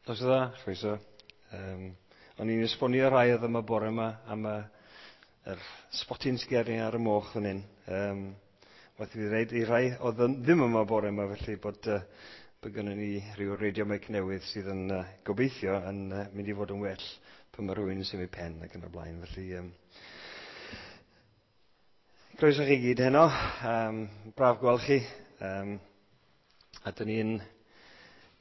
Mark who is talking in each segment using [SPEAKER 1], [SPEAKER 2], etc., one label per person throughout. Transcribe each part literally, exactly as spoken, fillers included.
[SPEAKER 1] Nos dda, chroeso. Um, o'n i'n esbonio rhai oedd yma bore yma am y, yr spotyn sgeri ar y moch fan hyn. Um, Waeth i fi ddeud i rai oedd yn, ddim yma bore yma, felly bod, uh, bod gynnon ni rhyw radio mic newydd sydd yn uh, gobeithio yn uh, mynd i fod yn well pan mae rhywun yn symud pen ac yn y blaen. Felly, um, croeso chi gyd heno. Um, braf gweld chi. Um, a dyn ni'n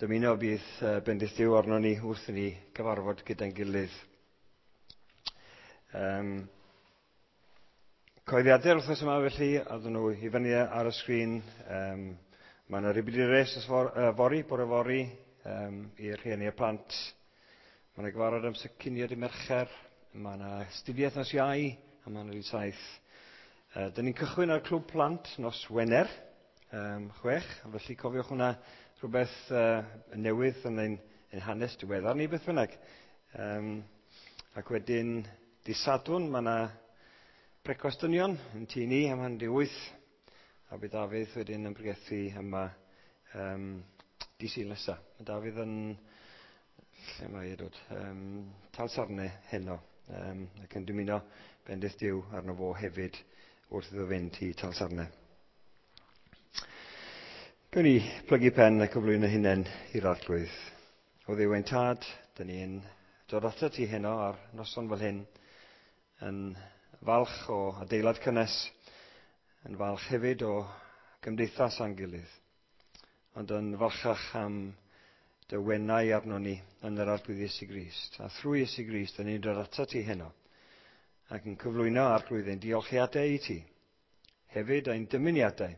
[SPEAKER 1] dymuno bydd uh, bendith Duw arno ni wrth i ni gyfarfod gyda'n gilydd. Um, Coeddiadau'r wythnos yma felly, oedden nhw i fyny ar y sgrin. Um, mae yna rhywbeth i res for, uh, fory, bore fory, um, i'r rhieni a plant. Mae yna gyfarfod amser cinio dy Mercher, mae yna astudiaeth nos Iau, a mae yna dydd saith. Uh, Dyn ni'n cychwyn ar Clwb Plant nos Wener, um, chwech, felly cofiwch hwnna rhywbeth uh, newydd yn ein, ein hanes diweddar ni beth bynnag. Um, ac wedyn, dydd Sadwrn, mae yna brecwast dynion yn tŷ ni am hanner i wyth, a bydd Dafydd wedyn yn pregethu yma um, dydd Sul nesa. Mae Dafydd yn, lle mae e dod, um, Talsarnau heno, um, ac yn dymuno bendith Duw arno fo hefyd wrth iddo fynd i Talsarnau. Gawn ni plygu pen a cyflwyno hunain i'r Arglwydd. O Dduw ein Tad, dyn ni'n dod atat ti heno ar noson fel hyn, yn falch o adeilad cynnes, yn falch hefyd o gymdeithas a'n gilydd, ond yn falchach am dy wenau arno ni yn yr Arglwydd Iesu Grist. A thrwy Iesu Grist, dyn ni'n dod atat ti heno, ac yn cyflwyno Arglwydd ein diolchiadau i ti, hefyd ein dymuniadau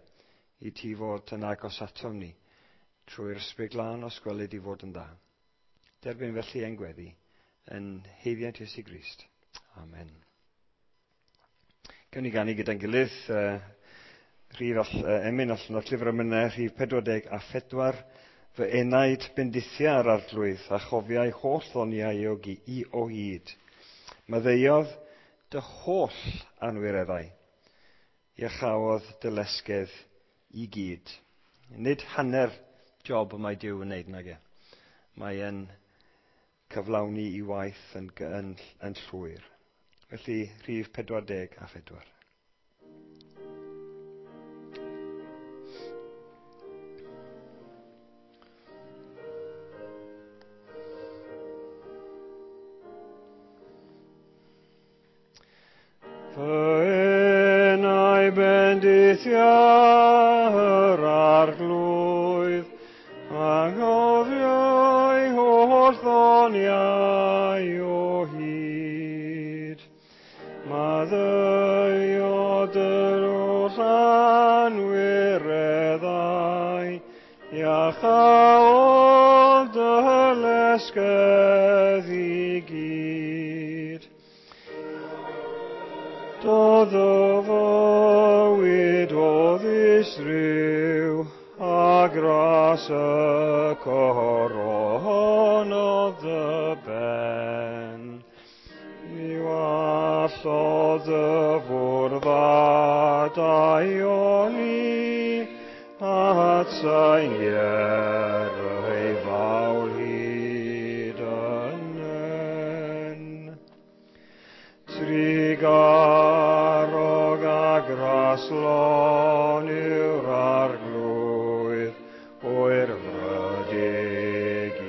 [SPEAKER 1] i ti fod yn agos atom ni, trwy'r Ysbryd Glân os gweled i fod yn dda. Derbyn felly ein gweddi yn haeddiant Iesu Grist. Amen. Gawn ni ganu gyda'n gilydd, uh, rhif all, uh, emyn allan o'r llyfr emynau, rhif pedwar deg a phedwar, fy enaid bendithia ar Arglwydd a chofiai holl ddoniau o, i o hyd. Maddeuodd dy holl anwireddau, iachaodd dy lesgedd i gyd. Nid hanner job y mae Duw yn wneud nag e. Mae e'n cyflawni i waith yn, yn, yn llwyr. Felly, rhif pedwar deg a phedwar. Fy enau bendithia yr Arglwydd, a gofiai holl ddoniau o hyd. Maddeuodd yr holl anwireddau, iachaodd dy lesgedd i gyd. Dodd y fywyd o ddisryw, a gras y coronodd dy ben. Mi wallodd y fwrdd a daioni, at sain ei fawl hyd yn en. Trugarog a graslon yw'r Arglwydd, oerfrydig i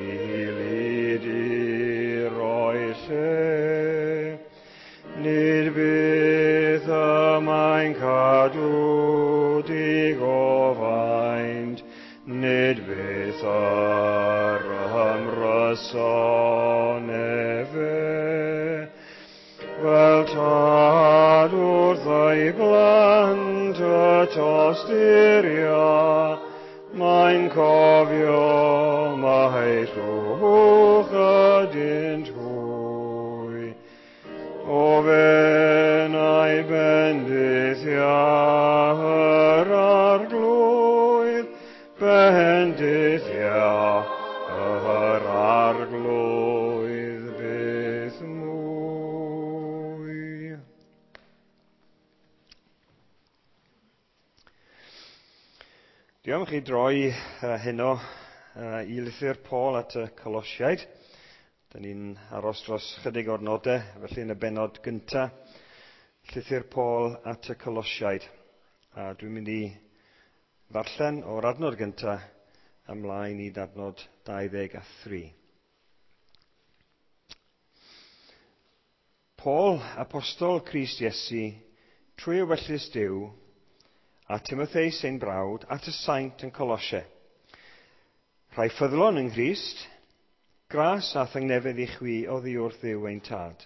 [SPEAKER 1] lyd i roi lle. Nid byth y mae'n cadw digofaint, nid byth yr ymryson efe. Fel tad wrth ei blant y tosturia, mae'n cofio mai llwch ydynt hwy. O fenau bendithia yr Arglwydd, bendithia yr Arglwydd byth mwy. Diolch chi droi uh, heno uh, i lythyr Paul at y Colosiaid. Dyn ni'n aros dros chydig o'r nodau, felly yn y bennod gyntaf, llythyr Paul at y Colosiaid. A dwi'n mynd i ddarllen o'r adnod gyntaf ymlaen i adnod dau ddeg a thri. Paul, apostol Crist Iesu, trwy ewyllys Duw, a Timotheus ein brawd, at y saint yn Colosiau. Rhai ffyddlon yng Nghrist, gras a thangnefedd i chwi oddi wrth Dduw ein tad.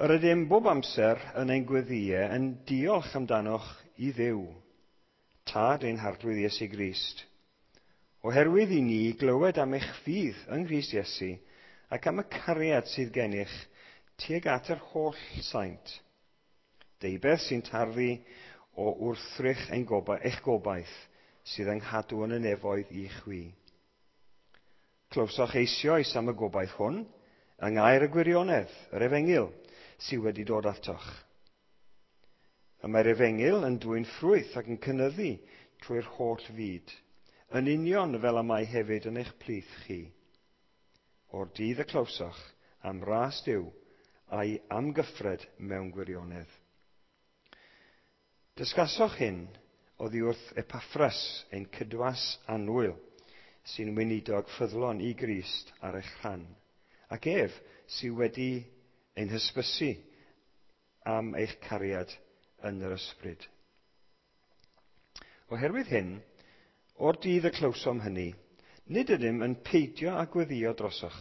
[SPEAKER 1] Yr ydym bob amser yn ein gweddïau yn diolch amdanoch i Dduw, Tad ein Harglwydd Iesu Grist, oherwydd i ni glywed am eich ffydd yng Nghrist Iesu ac am y cariad sydd gennych tuag at yr holl saint. Deubeth sy'n tarddu o wrthrych ein goba, eich gobaith sydd yng nghadw yn y nefoedd i chwi. Clywsoch eisoes am y gobaith hwn, yng ngair y gwirionedd, yr efengyl, sydd wedi dod atoch. Y mae'r efengyl yn dwyn ffrwyth ac yn cynyddu trwy'r holl fyd, yn union fel y mae hefyd yn eich plith chi. O'r dydd y clywsoch am ras Duw a'i amgyffred mewn gwirionedd. Dysgasoch hyn oddi wrth Epaffras, ein cydwas annwyl, sy'n weinidog ffyddlon i Grist ar eich rhan, ac ef sydd wedi ein hysbysu am eich cariad yn yr ysbryd. Oherwydd hyn, o'r dydd y clywsom hynny, nid ydym yn peidio â gweddïo drosoch.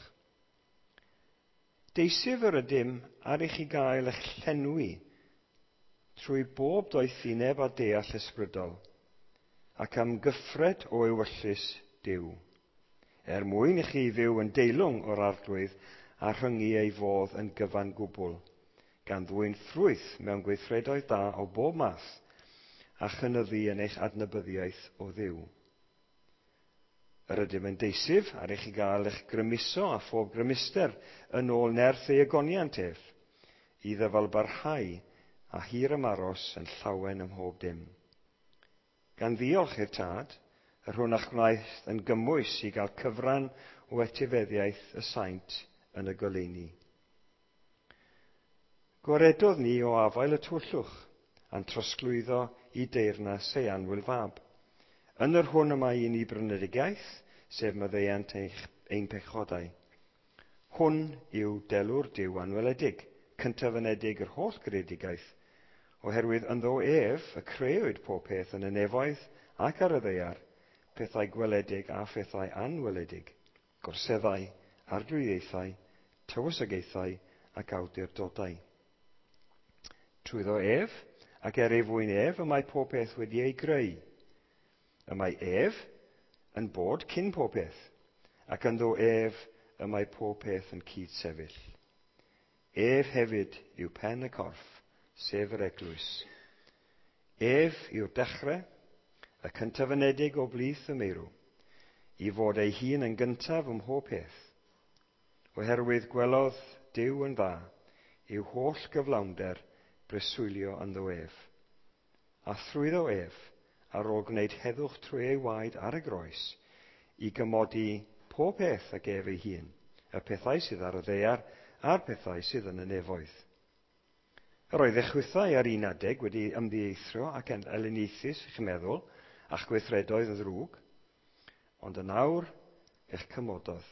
[SPEAKER 1] Deisyf yr ydym ar i chi gael eich llenwi trwy bob doethineb a deall ysbrydol, ac am gyffred o ewyllys Duw, er mwyn i chi fyw yn deilwng o'r Arglwydd a rhyngu ei fodd yn gyfan gwbl, gan ddwyn ffrwyth mewn gweithredoedd da o bob math, a chynyddu yn eich adnabyddiaeth o Dduw. Yr ydym yn deisyf ar i chi gael eich grymuso a phob grymuster yn ôl nerth ei ogoniant ef, i ddyfalbarhau a hir ymaros yn llawen ym mhob dim. Gan ddiolch i'r Tad, yr hwn a'ch gwnaeth yn gymwys i gael cyfran o etifeddiaeth y saint yn y goleuni. Gwaredodd ni o afael y tywyllwch, a'n trosglwyddo i deyrnas ei annwyl fab. Yn yr hwn y mae i ni brynedigaeth, sef maddeuant eich, ein pechodau. Hwn yw delw'r Duw anweledig, cyntafynedig yr holl greadigaeth, oherwydd ynddo ef y crëwyd pob peth yn y nefoedd ac ar y ddaear, pethau gweledig a phethau anweledig, gorseddau, arglwyddiaethau, tywysogaethau ac awdurdodau. Trwyddo ef, ac er ei fwyn ef, y mae pob peth wedi ei greu. Y mae ef yn bod cyn pob peth, ac ynddo ef y mae pob peth yn cydsefyll. Ef hefyd yw pen y corff, sef yr eglwys. Ef yw'r dechrau, y cyntafynedig o blith y meirw, i fod ei hun yn gyntaf ym mhob peth, oherwydd gwelodd Duw yn dda i'w holl gyflawnder breswylio ynddo ef. A thrwyddo ef, ar ôl gwneud heddwch trwy ei waed ar y groes, i gymodi pob peth ag ef ei hun, y pethau sydd ar y ddaear a'r pethau sydd yn y nefoedd. Yr oedd eich chwithau ar un adeg wedi ymddieithrio ac yn elyniaethus eich meddwl a'ch gweithredoedd yn ddrwg, ond yn awr eich cymododd,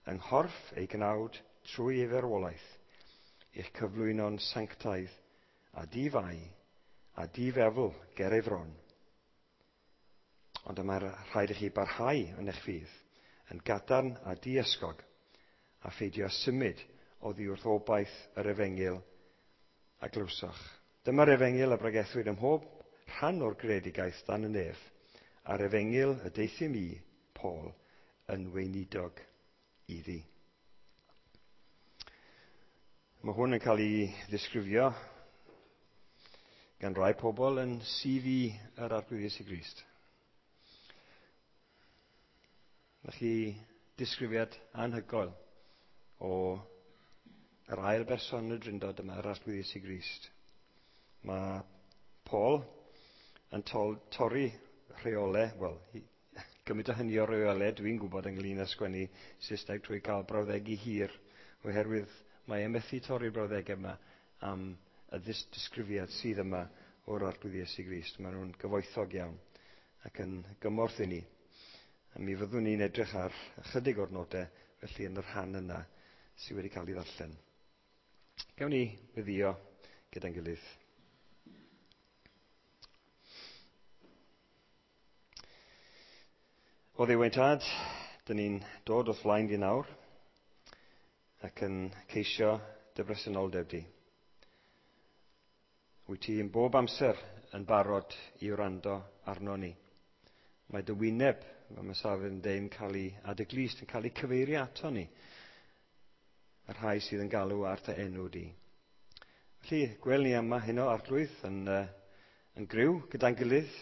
[SPEAKER 1] yng nghorff ei gnawd trwy ei farwolaeth, eich cyflwyno'n sanctaidd a di-fai a di-fefl ger ei fron. Ond y mae rhaid i chi barhau yn eich ffydd, yn gadarn a diysgog, a pheidio symud oddi wrth obaith yr efengyl a glywsoch. Dyma'r efengyl a bregethwyd ym mhob rhan o'r greadigaeth dan y nef, a'r efengyl y deuthum i, Paul, yn weinidog iddi. Mae hwn yn cael ei ddisgrifio gan rai pobl yn C V yr Arglwydd Iesu Grist. Mae chi disgrifiad anhygoel o yr ail berson yn y Drindod yma, yr Arglwydd Iesu Grist. Mae Paul yn tol, torri rheolau, wel, Gymryd o hynny o reolau dwi'n gwybod ynglyn â sgwennu Saesneg trwy cael brawddegu hir, oherwydd mae e methu torri'r brawddegau yma am y disgrifiad sydd yma o'r Arglwydd Iesu Grist. Maen nhw'n gyfoethog iawn ac yn gymorth i ni. A mi fyddwn ni'n edrych ar ychydig o'r nodau felly yn y rhan yna sydd wedi cael ei ddarllen. Gawn ni weddïo gyda'n gilydd. O Dduw ein Tad, dyn ni'n dod wrth flaen di nawr ac yn ceisio dy bresenoldeb di. Wyt ti yn bob amser yn barod i wrando arno ni. Mae dy wyneb, fel mae Safin yn deud, yn cael ei, a dy glust yn cael ei cyfeirio ato ni, y rhai sydd yn galw ar dy enw di. Felly, gwel ni yma heno, Arglwydd, yn, uh, yn griw gyda'n gilydd,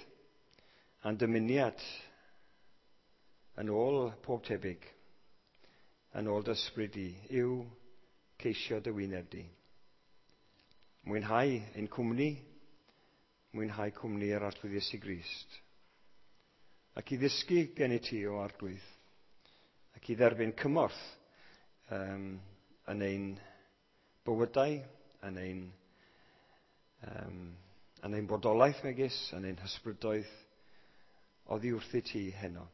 [SPEAKER 1] a'n dymuniad yn ôl pob tebyg, yn ôl dy ysbryd di, yw ceisio dy wyneb di. Mwynhau ein cwmni, mwynhau cwmni yr Arglwydd Iesu Grist. Ac i ddysgu gen i ti o Arglwydd, ac i dderbyn cymorth um, yn ein bywydau, yn ein, um, yn ein bodolaeth megis, yn ein hysbrydoedd, oddi wrthi ti heno.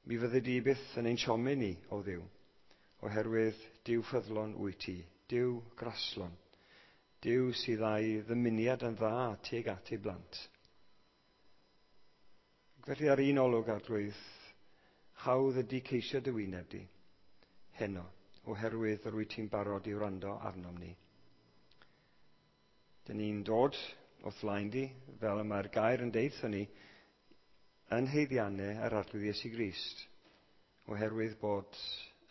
[SPEAKER 1] Mi fyddi di byth yn ein siomi ni, o Dduw, oherwydd Duw ffyddlon wyt ti, Duw graslon, Duw sydd â'i ddymuniad yn dda tuag at ei blant. Ac felly ar un olwg, Arglwydd, hawdd ydy ceisio dy wyneb di, heno, oherwydd yr wyt ti'n barod i wrando arnom ni. Dyn ni'n dod wrth flaen di, fel y mae'r gair yn deutha ni, yn haeddiannau yr Arglwydd Iesu Grist, oherwydd bod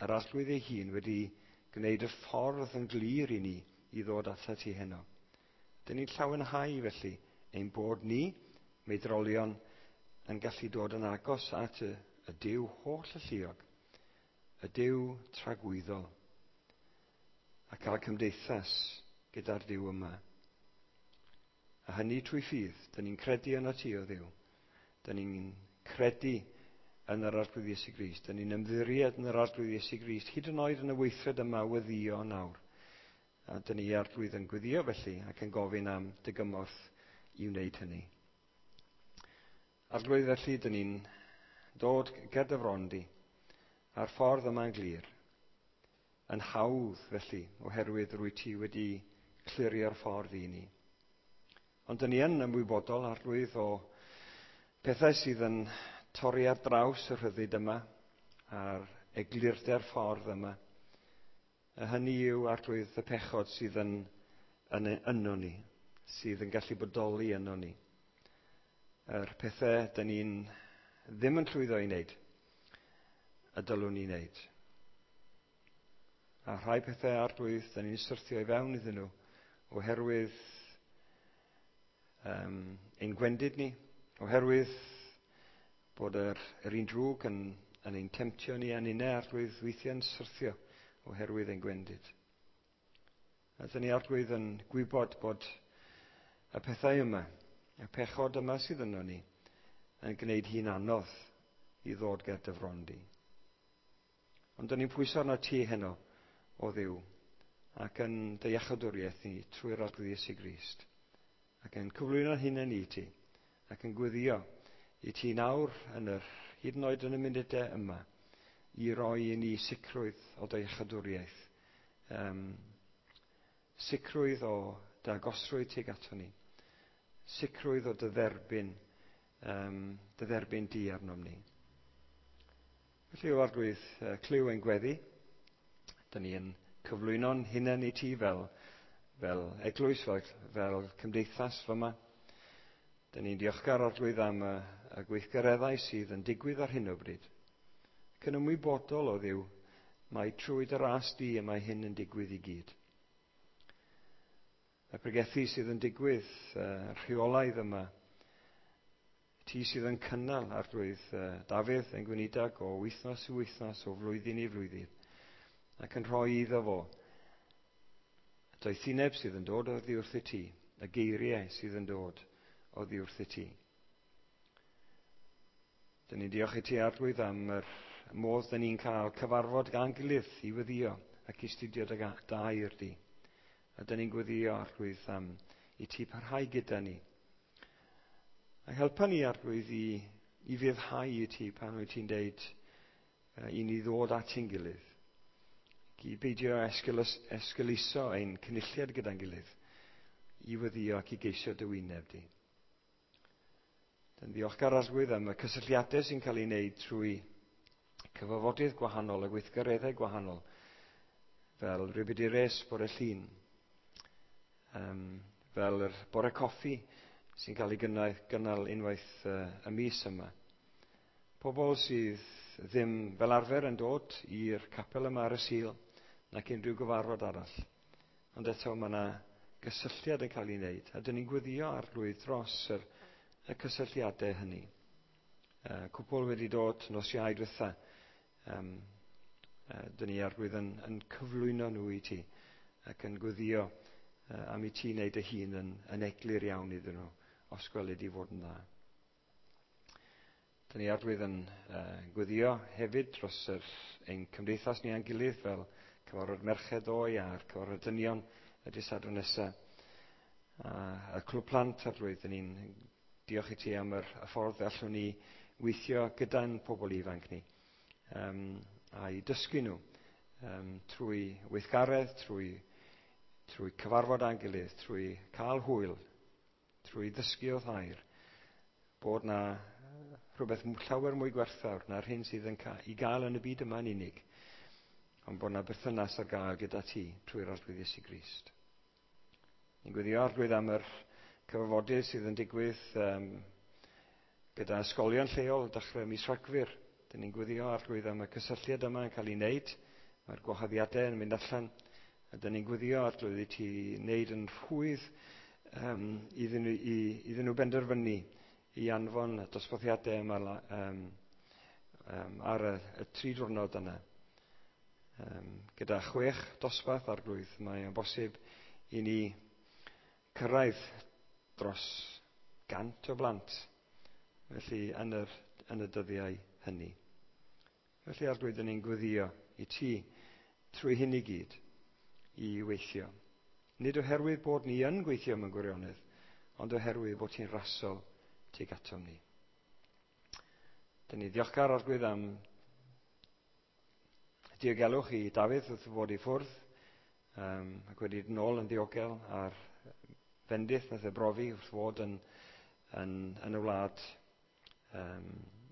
[SPEAKER 1] yr Arglwydd ei hun wedi gwneud y ffordd yn glir i ni i ddod atat ti heno. Dyn ni'n llawenhau felly ein bod ni, meidrolion, yn gallu dod yn agos at y, y Duw holl alluog, y Duw tragwyddol, a cael cymdeithas gyda'r Duw yma. A hynny trwy ffydd, dyn ni'n credu yno ti o Dduw. Dyn ni'n credu yn yr Arglwydd Iesu Grist. Dyn ni'n ymddiried yn yr Arglwydd Iesu Grist, hyd yn oed yn y weithred yma weddïo nawr. A dyn ni Arglwydd yn gweddio felly ac yn gofyn am dy gymorth i wneud hynny. Arglwydd felly, dyn ni'n dod ger dy fron di, a'r ffordd yma'n glir, yn hawdd felly, oherwydd rwy ti wedi clirio'r ffordd i ni. Ond dyn ni yn ymwybodol, Arglwydd, o pethau sydd yn torri ar draws y rhyddid yma, a'r eglurder ffordd yma. A hynny yw, Arglwydd, y pechod sydd yn, yn yno ni, sydd yn gallu bodoli yno ni. Yr pethau dyn ni'n ddim yn llwyddo i wneud, y dylwn ni wneud. A rhai pethau, Arglwydd, dyn ni'n syrthio i fewn iddyn nhw, oherwydd um, ein gwendid ni, oherwydd bod yr, yr un drwg yn, yn ein temtio ni a'n unau, Arglwydd, weithiau'n syrthio oherwydd ein gwendid. A dyn ni, Arglwydd, yn gwybod bod y pethau yma, y pechod yma sydd yno ni, yn gwneud hi'n anodd i ddod ger dy fron di. Ond dyn ni'n pwyso arno ti heno, o Dduw, ac yn dy iachawdwriaeth ni trwy'r Arglwydd Iesu Grist, ac yn cyflwyno'n hunain i ti, ac yn gweddio i ti nawr, yn yr, hyd yn oed yn y munudau yma, i roi i ni sicrwydd o dy iachawdwriaeth, um, sicrwydd o dy agosrwydd tuag ato ni, sicrwydd o dy dderbyn, um, dy dderbyn di arnom ni. Felly, o Arglwydd, clyw ein gweddi. Dyn ni yn cyflwyno'n hunain i ti fel, fel eglwys, fel, fel cymdeithas fyma. Dyn ni'n diolchgar, Arglwydd, am y, y gweithgareddau sydd yn digwydd ar hyn o bryd. Ac yn ymwybodol o Dduw, mae trwy dy ras di y mae hyn yn digwydd i gyd. Y pregethu sydd yn digwydd, uh, rheolaidd yma, ti sydd yn cynnal, Arglwydd, uh, Dafydd yn gweinidog o wythnos i wythnos, o flwyddyn i flwyddyn, ac yn rhoi iddo fo doethineb sydd yn dod oddi wrth y ti, y geiriau sydd yn dod oddi wrth y ti. Dyn ni'n diolch i ti, Arglwydd, am yr modd dyn ni'n cael cyfarfod gan gilydd i weddïo ac i studio dy air di. A dyn ni'n gweddio, Arglwydd, am i ti parhau gyda ni. A helpa ni, Arglwydd, i, i fyddhau i ti pan wyt ti'n deud uh, i ni ddod at ein gilydd. Ac i beidio esgulus, esgeuluso ein cynulliad gyda'n gilydd i weddïo ac i geisio dy wyneb di. Yn ddiolchgar, Arglwydd, am y cysylltiadau sy'n cael ei wneud trwy cyfarfodydd gwahanol a gweithgareddau gwahanol, fel Ribidi Res bore Llun, um, fel yr bore coffi sy'n cael ei gynnal, gynnal unwaith uh, y mis yma. Pobl sydd ddim fel arfer yn dod i'r capel yma ar y Sul nac unrhyw gyfarfod arall. Ond eto mae yna gysylltiad yn cael ei wneud, a dyn ni'n gweddio, Arglwydd, dros yr y cysylltiadau hynny. Uh, cwpl wedi dod nos Iau diwetha. Um, uh, dyn ni, Arglwydd, yn, yn cyflwyno nhw i ti ac yn gweddio uh, am i ti wneud dy hun yn, yn eglur iawn iddyn nhw, os gwelid i fod yn dda. Dyn ni, Arglwydd, yn uh, gweddio hefyd dros yr, ein cymdeithas ni a'n gilydd, fel cyfarfod merched ddoe a'r cyfarfod dynion y dydd Sadwrn nesaf. A y clwb plant, Arglwydd, dyn ni'n diolch i ti am yr, y ffordd allwn ni weithio gyda'n pobl ifanc ni um, a'i dysgu nhw um, trwy weithgaredd, trwy, trwy cyfarfod â'n gilydd, trwy cael hwyl, trwy ddysgu o thair, bod na rhywbeth llawer mwy gwerthfawr na'r hyn sydd yn ca- i gael yn y byd yma yn unig, ond bod na berthynas ar gael gyda ti trwy'r Arglwydd Iesu Grist. Ni'n gweddio, Arglwydd, am yr cyfarfodydd sydd yn digwydd um, gyda ysgolion lleol dechrau mis Rhagfyr. Dyn ni'n gweddio, Arglwydd, am y cysylltiad yma yn cael ei wneud. Mae'r gwahoddiadau yn mynd allan. A dyn ni'n gweddio, Arglwydd, i ti wneud yn rhwydd um, iddyn, nhw, i, iddyn nhw benderfynu i anfon y dosbarthiadau yma um, um, ar y, y tri diwrnod yna. Um, gyda chwech dosbarth, Arglwydd, mae'n bosib i ni cyrraedd dros gant o blant, felly yn, yr, yn y dyddiau hynny. Felly, Arglwydd, dyn ni'n gweddio i ti trwy hyn i gyd i weithio. Nid oherwydd bod ni yn gweithio mewn gwirionedd, ond oherwydd bod ti'n rasol tuag atom ni. Dyn ni ddiolchgar, Arglwydd, am diogelwch i Dafydd wrth fod i ffwrdd um, ac wedi dod nôl yn ddiogel a'r fendith nath e brofi wrth fod yn, yn, yn y wlad um,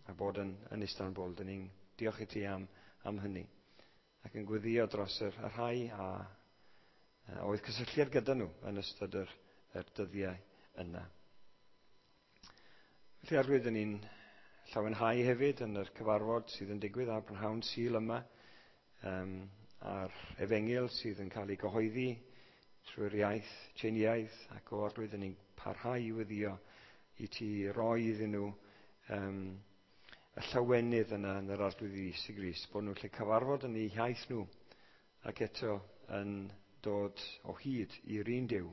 [SPEAKER 1] a bod yn, yn Istanbul. Dyn ni'n diolch i ti am, am hynny ac yn gweddio dros yr, y rhai a, a oedd cysylltiad gyda nhw yn ystod yr, yr dyddiau yna. Felly, Arglwydd, dyn ni'n llawenhau hefyd yn yr cyfarfod sydd yn digwydd ar brynhawn Sul yma, um, a'r efengyl sydd yn cael ei gyhoeddi trwy'r iaith Tsieineaidd, ac o Arglwydd, dyn ni'n parhau i weddio i ti roi iddyn nhw um, y llawenydd yna yn yr Arglwydd Iesu Grist, bod nhw'n lle cyfarfod yn eu hiaith nhw ac eto yn dod o hyd i'r un Duw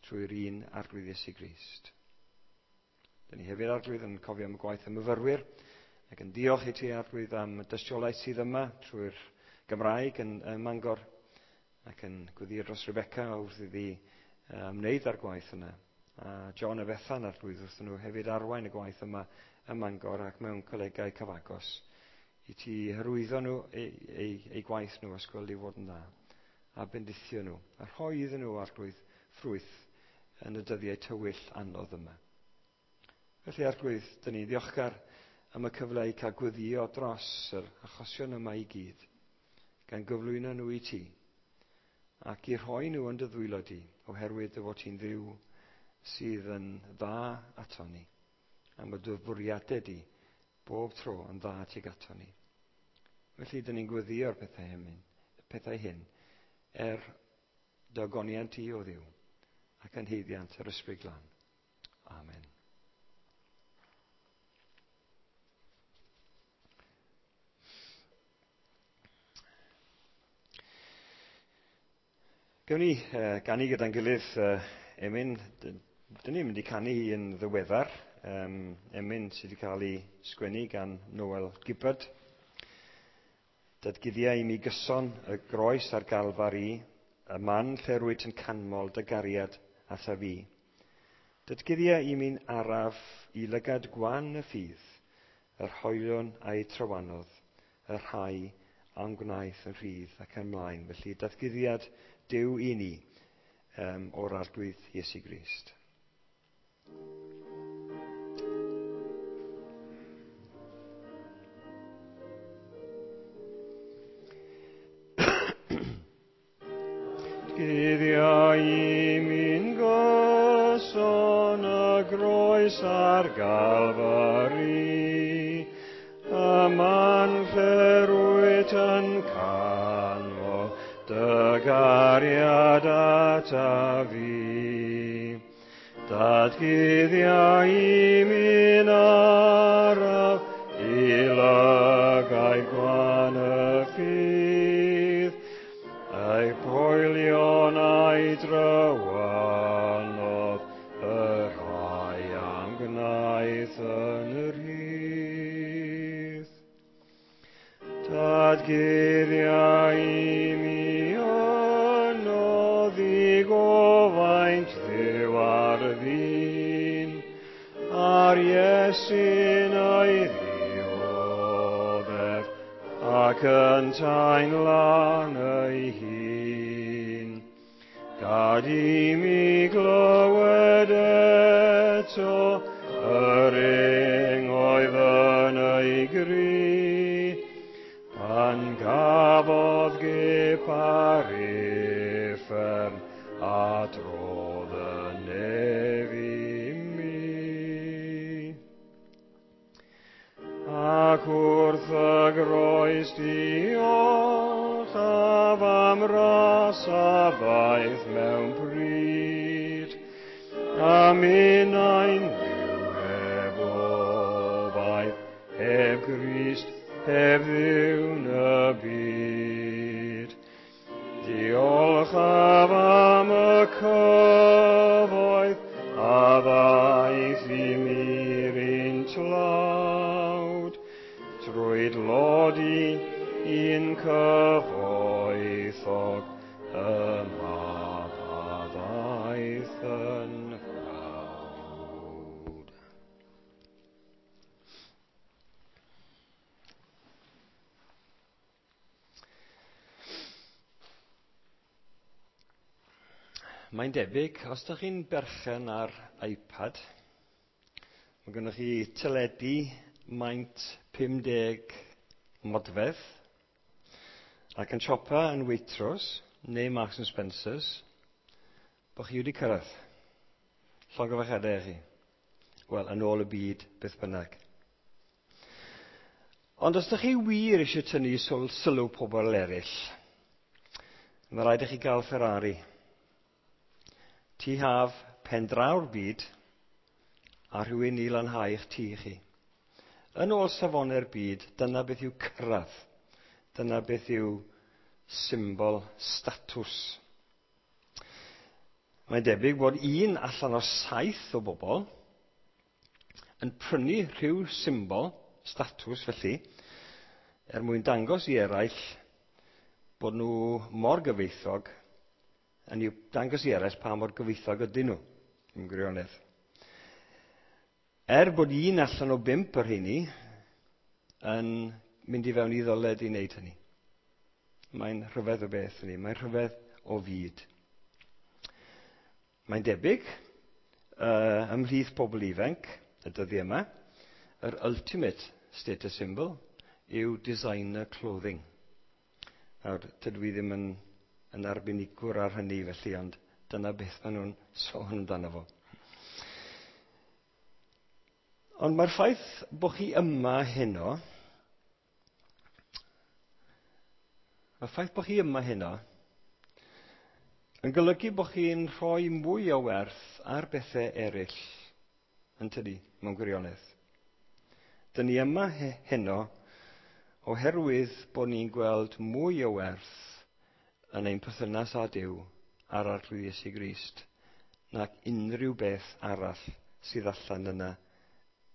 [SPEAKER 1] trwy'r un Arglwydd Iesu Grist. Dyn ni hefyd, Arglwydd, yn cofio am y gwaith y myfyrwyr ac yn diolch i ti, Arglwydd, am y dystiolaeth sydd yma trwy'r Gymraeg yn, yn Mangor, ac yn gweddio dros Rebecca wrth iddi ymwneud â'r gwaith yna. A John a Bethan, Arglwydd, wrth nhw hefyd arwain y gwaith yma ym Mangor ac mewn colegau cyfagos, i ti hyrwyddo nhw, eu, eu, eu gwaith nhw, os gweld i fod yn dda, a bendithio nhw, a rhoi iddyn nhw, Arglwydd, ffrwyth yn y dyddiau tywyll anodd yma. Felly, Arglwydd, dyn ni'n ddiolchgar am y cyfle i cael gweddio dros yr achosion yma i gyd, gan gyflwyno nhw i ti, ac i rhoi nhw yn dy ddwylo di, oherwydd dy fod ti'n Dduw sydd yn dda ato ni, am y dy fwriadau di bob tro yn dda tuag ato ni. Felly, dyn ni'n gweddio'r pethau hyn, pethau hyn er dy ogoniant i o Dduw ac yn haeddiant yr Ysbryd Glân. Amen. Gewn ni uh, ganu gyda'n gilydd uh, emyn. Dyn ni'n mynd i canu hi yn ddiweddar. um, emyn sydd wedi cael ei sgwennu gan Noel Gibbard. Datguddia i mi gyson y groes ar Galfari, y man lle rwyt yn canmol dy gariad ata fi. Datguddia i mi'n araf i lygad gwan y ffydd, yr hoelion a'i trywanodd, y rhai a'n gwnaeth yn rhydd ac ymlaen. Felly datguddiad Duw i ni um, o'r Arglwydd Iesu Grist. Guddia i mi'n gyson y groes ar Galfari, y man lle rwyt yn canmol dy gariad ata fi. Datguddia i mi'n araf i lygaid gwan y ffydd, a'i poelion a'i drywanodd, y rhai am gwnaeth yn rhydd. Datguddia i mi yno ddigofaint Dduw ar ddyn, a'r Iesu'n ei ddioddef, ac yntau'n lan ei hun. Gad i mi glywed eto yr ing oedd yn ei gri, pan gafodd gip ar uffern a drodd y nef i mi. Ac wrth y groes diolchaf am ras a ddaeth mewn pryd, a minnau'n fyw heb obaith, heb Grist, heb Dduw'n y byd. Diolchaf am y cyfoeth a ddaeth i mi'r un tlawd, trwy dlodi un cyfoethog y mab a ddaeth yn frawd. Mae'n debyg, os ydych chi'n berchen ar iPad, mae gennych chi teledu maint pum deg modfedd, ac yn siopa yn Waitrose neu Marks and Spencer's, bod chi wedi cyrraedd. Llongyfarchiadau i chi. Wel, yn ôl y byd, beth bynnag. Ond os ydych chi wir eisiau tynnu sylw pobl eraill, mae rhaid i chi gael Ferrari. Tŷ haf, pen draw'r byd, a rhywun i lanhau eich tŷ chi. Yn ôl safonau'r byd, dyna beth yw cyrraedd. Dyna beth yw symbol statws. Mae'n debyg bod un allan o saith o bobl yn prynu rhyw symbol statws felly, er mwyn dangos i eraill bod nhw mor gyfoethog, yn i'w dangos i eraill pa mor gyfoethog ydyn nhw, yn gwirionedd. Er bod un allan o bump o'r rheini yn mynd i fewn i ddyled i wneud hynny. Mae'n rhyfedd o beth hynny, mae'n rhyfedd o fyd. Mae'n debyg, uh, ymhlith pobl ifanc y dyddiau yma, yr ultimate status symbol yw designer clothing. Nawr, tydw i ddim yn, yn arbenigwr ar hynny felly, ond dyna beth maen nhw'n sôn amdano fo. Ond mae'r ffaith bod chi yma heno, mae'r ffaith bod chi yma heno, yn golygu bod chi'n rhoi mwy o werth ar bethau eraill, yn tydi, mewn gwirionedd. Dyn ni yma he-, heno oherwydd bod ni'n gweld mwy o werth yn ein perthynas â Duw a'r Arglwydd Iesu Grist nac unrhyw beth arall sydd allan yna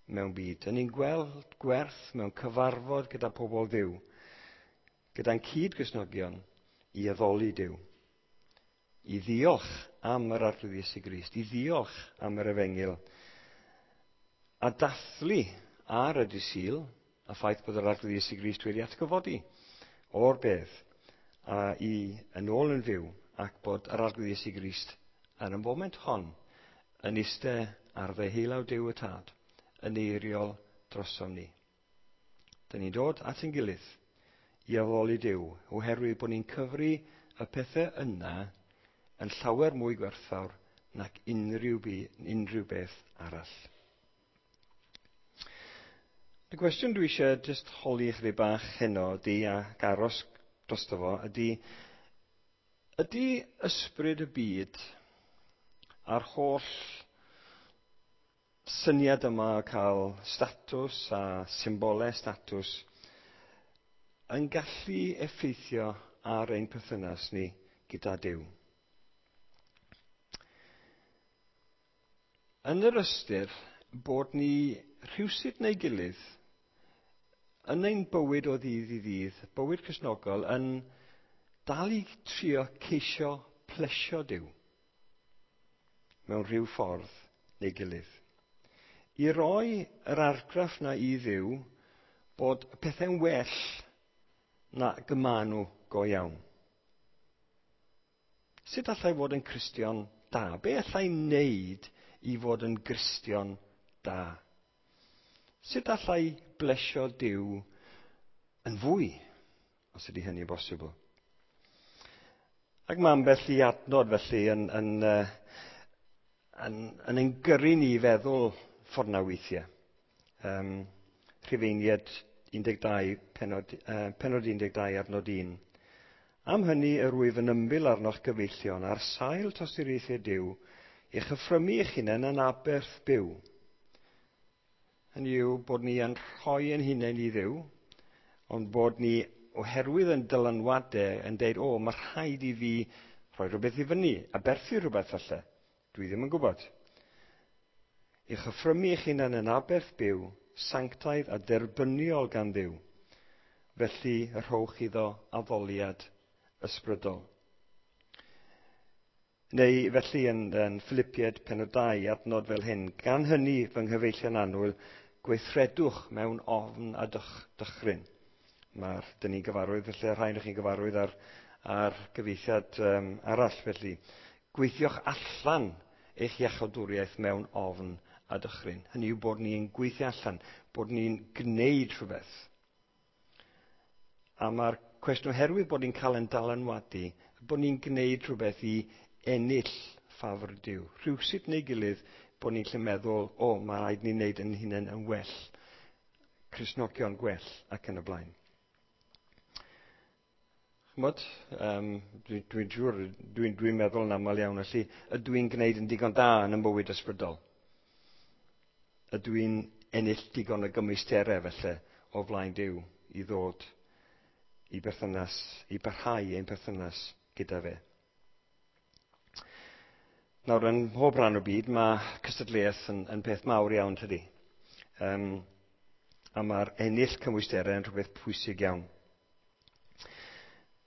[SPEAKER 1] mewn byd? Ydyn ni'n gweld gwerth mewn cyfarfod gyda pobl Dduw, gyda'n cyd-Gristnogion i addoli Duw, i ddiolch am yr Arglwydd Iesu Grist, i ddiolch am yr Efengyl, a dathlu ar y dydd Sul y ffaith bod yr Arglwydd Iesu Grist wedi atgyfodi o'r bedd a i yn ôl yn fyw, ac bod yr Arglwydd Iesu Grist yn y foment hon yn eistedd ar ddeheulaw Duw y Tad, yn eiriol drosom ni. Dyn ni'n dod at ein gilydd i addoli Duw, oherwydd bod ni'n cyfri y pethau yna yn llawer mwy gwerthfawr nac unrhyw, bu, unrhyw beth arall. Y cwestiwn dwi eisiau jyst holi chydig bach heno ydy, ac aros drosto fo, ydy, ydy ysbryd y byd a'r holl syniad yma o cael statws a symbolau statws yn gallu effeithio ar ein perthynas ni gyda Duw? Yn yr ystyr bod ni rhywsut neu gilydd yn ein bywyd o ddydd i ddydd, bywyd Cristnogol, yn dal i trio ceisio plesio Duw mewn rhyw ffordd neu gilydd. I roi yr argraff na i Dduw bod pethau'n well na gyma nhw go iawn. Sut allai fod yn Cristion da? Be allai wneud i fod yn Gristion da? Sut allai blesio Duw yn fwy, os ydy hynny'n bosibl? Ac mae ambell i adnod felly yn, yn, yn, yn ein gyrru ni i feddwl ffordd na weithiau. Um, Rhufeiniaid un deg dau, penod, uh, penod un deg dau adnod un. Am hynny yr wyf yn ymbil arnoch gyfeillion ar sail tosturiaethau Duw, i'ch offrymu eich hunain yn aberth byw. Hynny yw bod ni yn rhoi ein hunain i Dduw, ond bod ni oherwydd yn dylanwadau yn deud, o, mae rhaid i fi rhoi rhywbeth i fyny, aberthu rhywbeth falle. Dwi ddim yn gwybod. I'ch offrymu eich hunain yn aberth byw, sanctaidd a derbyniol gan Dduw. Felly rhowch iddo addoliad ysbrydol. Neu felly yn, yn Philippiaid penod dau adnod fel hyn, gan hynny fy nghyfeillion annwyl, gweithredwch mewn ofn a dych, dychryn. Mae'r, dyn ni'n gyfarwydd, felly rhai o'ch chi'n gyfarwydd ar, ar gyfieithiad um, arall felly. Gweithiwch allan eich iachawdwriaeth mewn ofn a dychryn. Hynny yw bod ni'n gweithio allan, bod ni'n gwneud rhywbeth. A mae'r cwestiwn oherwydd bod ni'n cael ein dylanwadu, bod ni'n gwneud rhywbeth i ennill ffafr Duw. Rhywsut neu gilydd bod ni'n lle meddwl, o, mae rhaid ni wneud yn hunain yn well, Cristnogion gwell ac yn y blaen. Ch'mod, um, dwi'n dwi siŵr, dwi'n dwi meddwl yn aml iawn, felly ydw i'n gwneud yn digon da yn y bywyd ysbrydol? Ydw i'n ennill digon o gymwysterau felly o flaen Duw i ddod i berthynas, i barhau ein perthynas gyda fe? Nawr, yn mhob rhan o byd, mae cystadleuaeth yn, yn peth mawr iawn, tydi. Um, a mae'r ennill cymwysterau yn rhywbeth pwysig iawn.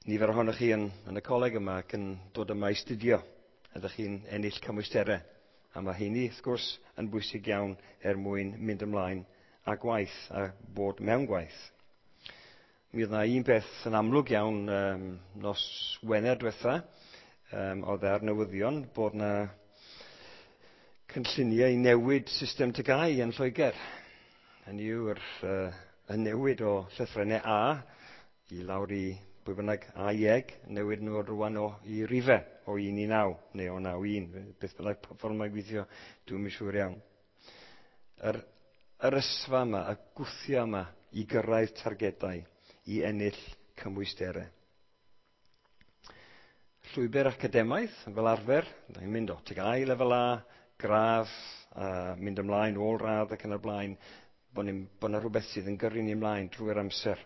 [SPEAKER 1] Nifer ohonoch chi yn, yn y coleg yma ac yn dod yma i studio. Ydych chi'n ennill cymwysterau. A mae hynny, wrth gwrs, yn bwysig iawn er mwyn mynd ymlaen a gwaith a bod mewn gwaith. Mi oedd yna un peth yn amlwg iawn um, nos Wener diwetha, um, oedd ar newyddion bod yna cynlluniau i newid system T G A U yn Lloegr. Hynny yw'r uh, y newid o llythrennau A i lawr i bwy bynnag A i eg, newid nhw rwan o i rifau o un i naw, neu o naw i un, beth bynnag ffordd mae'n gweithio, dwi'n siŵr iawn. Yr, yr ysfa yma, y gwthio yma i gyrraedd targedau, i ennill cymwysterau. Llwybr academaidd, fel arfer, ni'n mynd o T G A U lefel A, gradd, a mynd ymlaen, ôl radd ac yn y blaen, bod yna rhywbeth sydd yn gyrru ni ymlaen drwy'r amser.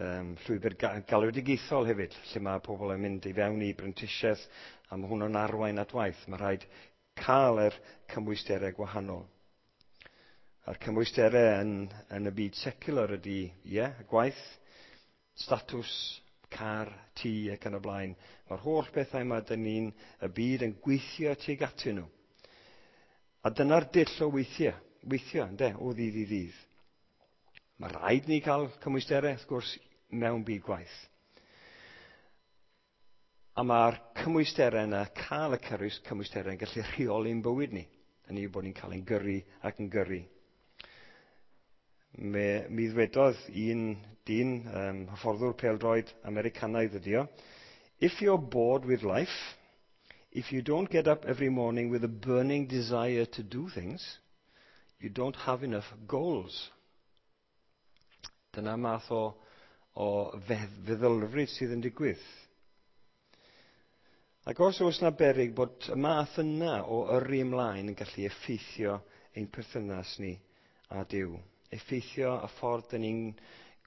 [SPEAKER 1] Um, llwybr galwedigaethol hefyd, lle mae pobl yn mynd i fewn i brentisiaeth, a mae hwnnw'n arwain at waith. Mae rhaid cael yr cymwysterau gwahanol. A'r cymwysterau yn, yn y byd secular ydy, ie, yeah, gwaith, statws, car, tŷ ac yn y blaen. Mae'r holl bethau yma dyn ni'n y byd yn gweithio tuag atyn nhw. A dyna'r dull o weithio, weithio, ynde, o ddydd i ddydd. Mae rhaid ni cael cymwysterau, wrth gwrs, mewn byd gwaith. A mae'r cymwysterau yna, cael y cymwysterau yn gallu rheoli'n bywyd ni. Hynny yw bod ni'n cael ein gyrru ac yn gyrru. Me, mi ddwedodd un dyn, um, hyfforddwr pêl-droed Americanaidd ydi o, "If you're bored with life, if you don't get up every morning with a burning desire to do things, you don't have enough goals." Dyna math o, o feddylfryd sydd yn digwydd. Ac os oes yna beryg bod y math yna o yrru ymlaen yn gallu effeithio ein perthynas ni â Duw. Effeithio y ffordd dyn ni'n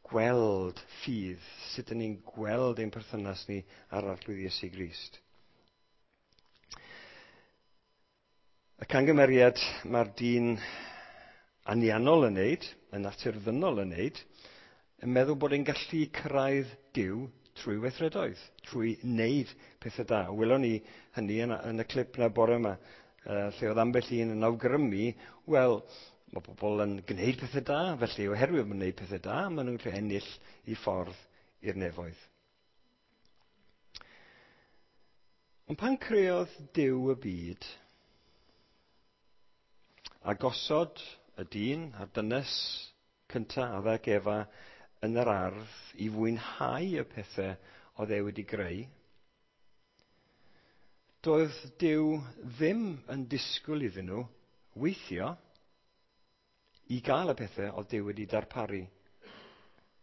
[SPEAKER 1] gweld ffydd, sut dyn ni'n gweld ein perthynas ni ar Arglwydd Iesu Grist. Y cangymeriad mae'r dyn anianol yn neud, y natur ddynol yn neud, yn meddwl bod e'n gallu cyrraedd Duw trwy weithredoedd, trwy wneud pethau da. Welon ni hynny yn, yn y clip na bore yma, uh, lle oedd ambell un yn awgrymu, wel, mae pobl yn gwneud pethau da, felly oherwydd maen nhw'n gwneud pethau da, maen nhw'n gallu ennill i ffordd i'r nefoedd. Ond pan creodd Duw y byd, a gosod y dyn a'r dynes cyntaf, Adda ac Efa, yn yr ardd i fwynhau y pethau oedd e wedi greu, doedd Duw ddim yn disgwyl iddyn nhw weithio i gael y pethau oedd Duw wedi darparu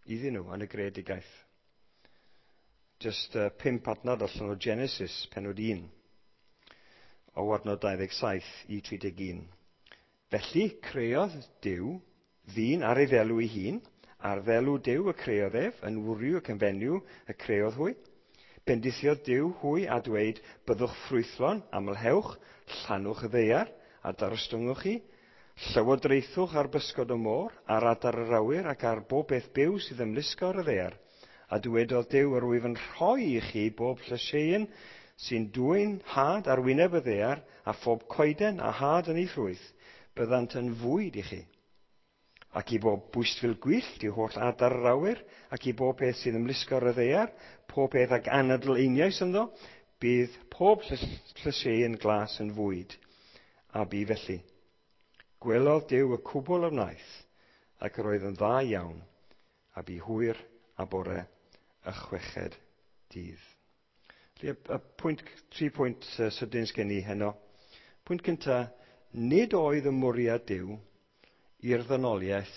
[SPEAKER 1] iddyn nhw yn y greadigaeth. Just uh, pump adnod allan o Genesis, pennod un, o adnod dau ddeg saith i tri deg un. Felly creodd Duw ddyn ar ei ddelw ei hun, ar ddelw Duw y creodd ef, yn wryw ac yn fenyw y creodd hwy. Bendithiodd Duw hwy a dweud, byddwch ffrwythlon, amlhewch, llanwch y ddaear, a darostyngwch hi, llywodraethwch ar bysgod y môr, ar adar yr awyr ac ar bob beth byw sydd ymlusgo ar y ddaear. A dywedodd Duw, yr wyf yn rhoi i chi bob llysieuyn sy'n dwyn had ar wyneb y ddaear, a phob coeden a had yn ei ffrwyth, byddant yn fwyd i chi. Ac i bob bwystfil gwyllt, i holl adar yr awyr, ac i bob peth sydd ymlusgo ar y ddaear, pob peth ag anadl einioes ynddo, bydd pob llysieuyn glas yn fwyd. A bu felly. Gwelodd Duw y cwbl a wnaeth, ac yr oedd yn dda iawn, a bu hwyr a bore y chweched dydd. Felly, y pwynt, tri pwynt sydyn sgen i heno. Pwynt cyntaf, nid oedd y mwriad Duw i'r ddynoliaeth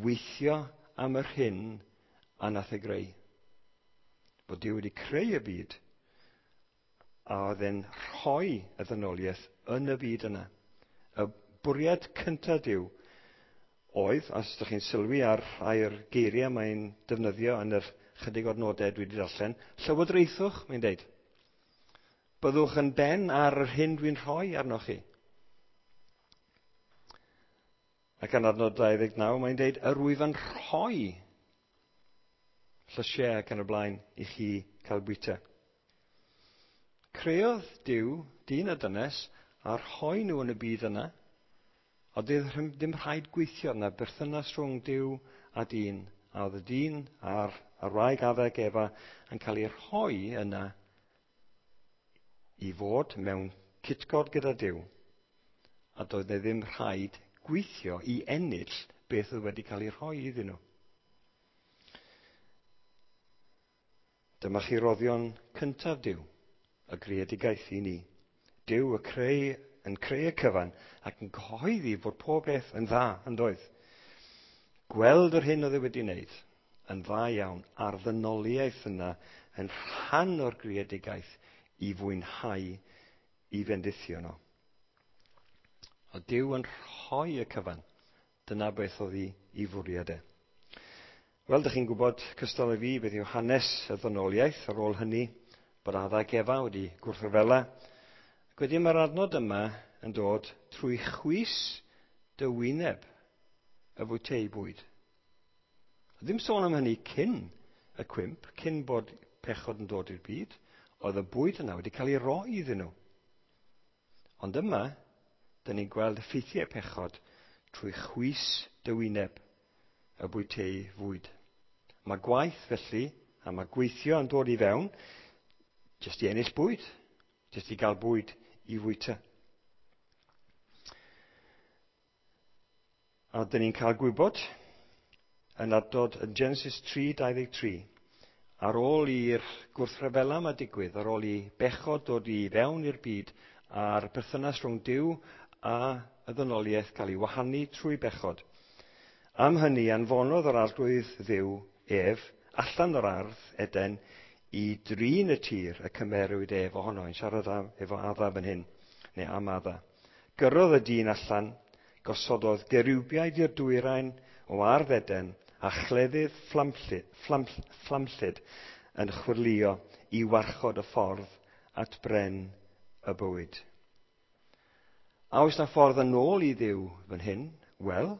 [SPEAKER 1] weithio am yr hyn a nath ei greu. Bod Duw wedi creu y byd, a oedd e'n rhoi y ddynoliaeth yn y byd yna. Y bwriad cyntaf Duw oedd, os ydych chi'n sylwi ar rhai'r geiriau mae'n defnyddio yn yr chydig o'r nodau dwi wedi darllen, llywodraethwch, mae'n deud. Byddwch yn ben ar yr hyn dwi'n rhoi arnoch chi. Ac yn adnod dau ddeg naw, mae'n deud, yr wyf yn rhoi llysiau ac yn y blaen i chi cael bwyta. Creodd Duw, dyn a dynes, a rhoi nhw yn y byd yna, a doedd ddim rhaid gweithio yna, berthynas rhwng Duw a dyn, a oedd y dyn a'r, a'r wraig Adda ac Efa yn cael ei rhoi yna i fod mewn cytgord gyda Duw, a doedd e ddim rhaid gweithio i ennill beth oedd wedi cael ei rhoi iddyn nhw. Dyma chi roddion cyntaf Duw, y greadigaeth i ni. Duw y creu, yn creu y cyfan ac yn cyhoeddi fod pob beth yn dda, yn doedd. Gweld yr hyn oedd e wedi wneud yn dda iawn, a'r ddynoliaeth yna yn rhan o'r greadigaeth i fwynhau i fendithio nhw. A Duw yn rhoi y cyfan. Dyna beth oedd i, i fwriad e. Wel, dych chi'n gwybod cystal â fi beth yw hanes y ddynoliaeth ar ôl hynny, bod Adda ac Efa wedi gwrthryfela. Ac wedyn mae'r adnod yma yn dod trwy chwys dy wyneb. y fwyteu bwyd. Ddim sôn am hynny cyn y cwymp, cyn bod pechod yn dod i'r byd, oedd y bwyd yna wedi cael ei roi iddyn nhw. Ond yma, dyn ni'n gweld effeithiau pechod trwy chwys dy wyneb y bwyteu fwyd. Mae gwaith felly, a mae gweithio yn dod i fewn, jyst i ennill bwyd, jyst i gael bwyd i fwyta. A dyn ni'n cael gwybod yn adnod yn Genesis tri dau ddeg tri, ar ôl i'r gwrthryfela yma digwydd, ar ôl i bechod dod i fewn i'r byd, a'r perthynas rhwng Duw a y ddynoliaeth cael ei wahanu trwy bechod. Am hynny, anfonodd yr Arglwydd Dduw ef allan o'r ardd Eden i drin y tir y cymerwyd ef ohono. Yn siarad am, efo Adda fan hyn, neu am Adda. Gyrrodd y dyn allan, gosododd gerubiaid i'r dwyrain o ardd Eden a chleddyf fflamllyd, fflam, fflamllyd yn chwyrlïo i warchod y ffordd at bren y bywyd. A oes na ffordd yn ôl i Dduw fan hyn? Wel,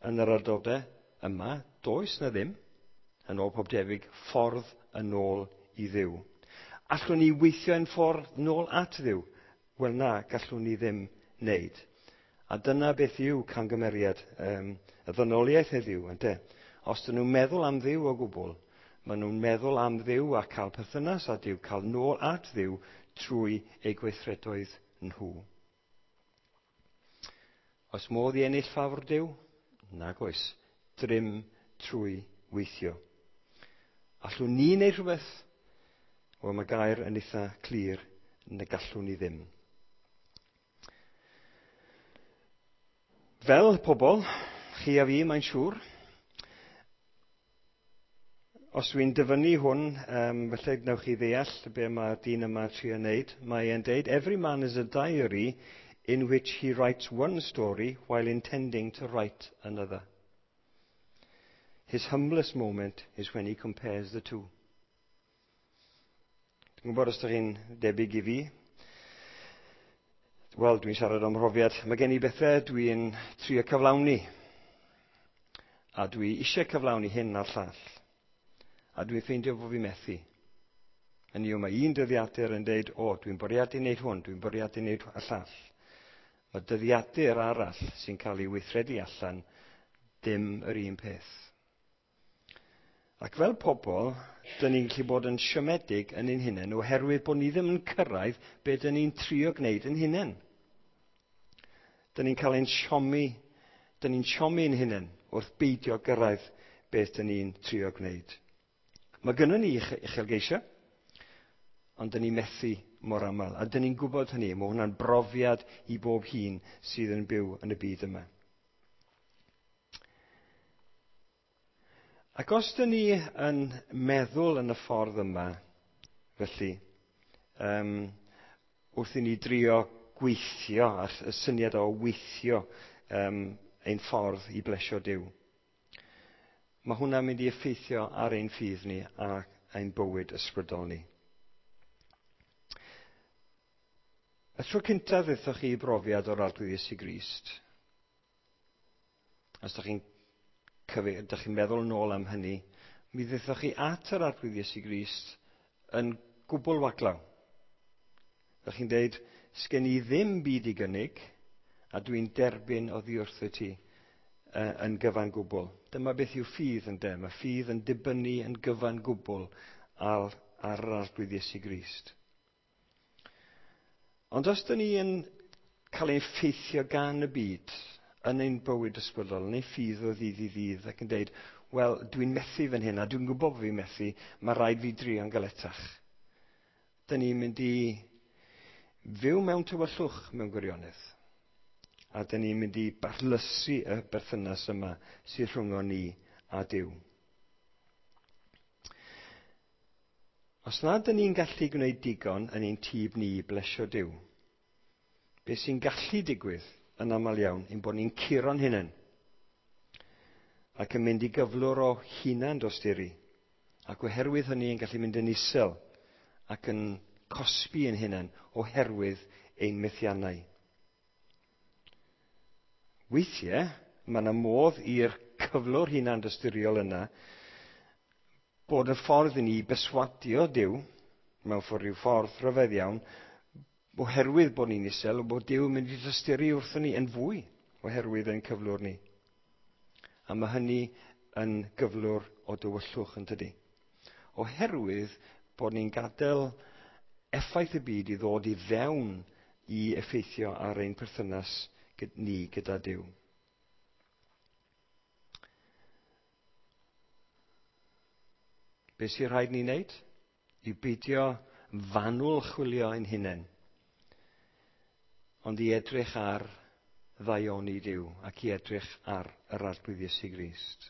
[SPEAKER 1] yn yr adnodau yma, does na ddim, yn ôl pob debyg, ffordd yn ôl i Dduw. Allwn ni weithio yn ffordd nôl at Dduw? Wel na, gallwn ni ddim wneud. A dyna beth yw camgymeriad um, y ddynoliaeth heddiw, ynte? Os dyn nhw'n meddwl am Dduw o gwbl, maen nhw'n meddwl am Dduw a cael perthynas â Duw, cael nôl at Dduw trwy eu gweithredoedd nhw. Oes modd i ennill ffafr Duw? Nag oes. Drym trwy weithio. Allwn ni wneud rhywbeth? Wel, mae gair yn eitha clir na gallwn ni ddim. Fel pobl, chi a fi, mae'n siŵr, os dwi'n dyfynnu hwn, um, felly wnewch chi ddeall be mae'r dyn yma trio wneud. Mae e'n deud, "Every man is a diary in which he writes one story while intending to write another. His humblest moment is when he compares the two." Dwi'n gwybod os ydych chi'n debyg i fi. Wel, dwi'n siarad am mhrofiad. Mae gen i bethau dwi'n trio cyflawni. A dwi eisiau cyflawni hyn a'r llall. A dwi'n ffeindio bod fi methu. Hynny yw, mae un dyddiadur yn deud, o, dwi'n bwriadu wneud hwn, dwi'n bwriadu wneud y llall. Mae dyddiadur arall sy'n cael ei weithredu allan dim yr un peth. Ac fel pobl, dyn ni'n gallu bod yn siomedig yn ein hunain oherwydd bod ni ddim yn cyrraedd be dyn ni'n trio gwneud yn hunain. Dyn ni'n cael ein siomi, dyn ni'n siomi ein hunain wrth beidio gyrraedd beth dyn ni'n trio gwneud. Mae gynnon ni uchelgeisiau, ond dyn ni'n methu mor aml. A dyn ni'n gwybod hynny, mae hwnna'n brofiad i bob hun sydd yn byw yn y byd yma. Ac os dyn ni yn meddwl yn y ffordd yma, felly, um, wrth i ni drio gweithio, a'r y syniad o weithio um, ein ffordd i blesio Duw, mae hwnna'n mynd i effeithio ar ein ffydd ni a ein bywyd ysbrydol ni. Y tro cyntaf ddethoch chi i brofiad o'r Arglwydd Iesu Grist, os ydych chi'n ydych chi'n meddwl nôl am hynny, mi ddethoch chi at yr Arglwydd Iesu Grist yn gwbl waglaw. Ydych chi'n deud, sgen i ddim byd i gynnig, a dwi'n derbyn oddi wrtho ti uh, yn gyfan gwbl. Dyma beth yw ffydd ynde. Mae ffydd yn dibynnu yn gyfan gwbl ar, ar yr Arglwydd Iesu Grist. Ond os dyn ni yn cael ein ffeithio gan y byd yn ein bywyd ysbrydol, yn ein ffydd o ddydd i ddydd, ac yn deud, wel, dwi'n methu fan hyn, a dwi'n gwybod bod fi'n methu, mae rhaid fi drio'n galetach. Dyn ni'n mynd i fyw mewn tywyllwch mewn gwirionedd. A dyn ni'n mynd i barlysu y berthynas yma sydd rhwng ni a Duw. Os nad dyn ni'n gallu gwneud digon yn ein tîb ni i blesio Duw, beth sy'n gallu digwydd yn aml iawn ein bod ni'n curo'n hunain ac yn mynd i gyflwr o hunan dosturi, ac oherwydd hynny yn gallu mynd yn isel ac yn cosbi ein hunain oherwydd ein methiannau. Weithiau, Mae yna modd i'r cyflwr hunan dosturiol yna bod y ffordd i ni beswadio Duw, mewn ffordd rhyw ffordd rhyfedd iawn, oherwydd bod ni'n isel, bod Duw yn mynd i dosturi wrthon ni yn fwy oherwydd ein cyflwr ni. A mae hynny yn gyflwr o dywyllwch, yn tydi? Oherwydd bod ni'n gadael effaith y byd i ddod i fewn i effeithio ar ein perthynas ni gyda Duw. Be sy'n rhaid ni wneud? I beidio fanwl chwilio ein hunain, ond i edrych ar ddaioni Duw ac i edrych ar yr Arglwydd Iesu Grist.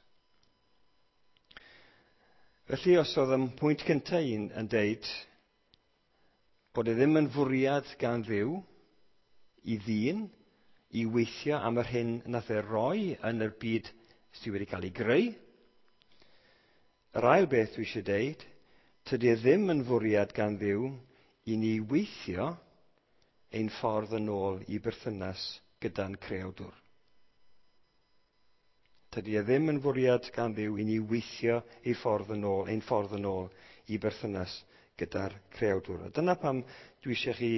[SPEAKER 1] Felly, os oedd y pwynt cyntaf un yn deud bod e ddim yn fwriad gan Dduw i ddyn i weithio am yr hyn nath e roi yn y byd sydd wedi cael ei greu, yr ail beth dwi eisiau deud, tydi e ddim yn fwriad gan Dduw i ni weithio ein ffordd yn ôl i berthynas gyda'n creawdwr. Tydi e ddim yn fwriad gan Dduw i ni weithio ei ffordd yn ôl, ein ffordd yn ôl i berthynas gyda'r creawdwr. A dyna pam dwi eisiau chi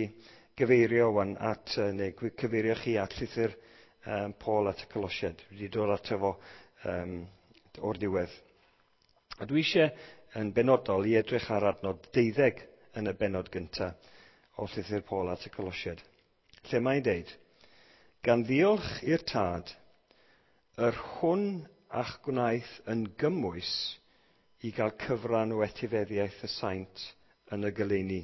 [SPEAKER 1] gyfeirio wan at, neu cyfeirio chi at llythyr um, Paul at y Colosiaid. Dwi wedi dod ato fo um, o'r diwedd. A dwi eisiau yn benodol i edrych ar adnod deuddeg yn y bennod gyntaf o llythyr Paul at y Colosiaid. Lle mae'n deud, gan ddiolch i'r Tad, yr hwn a'ch gwnaeth yn gymwys i gael cyfran o etifeddiaeth y saint yn y goleuni.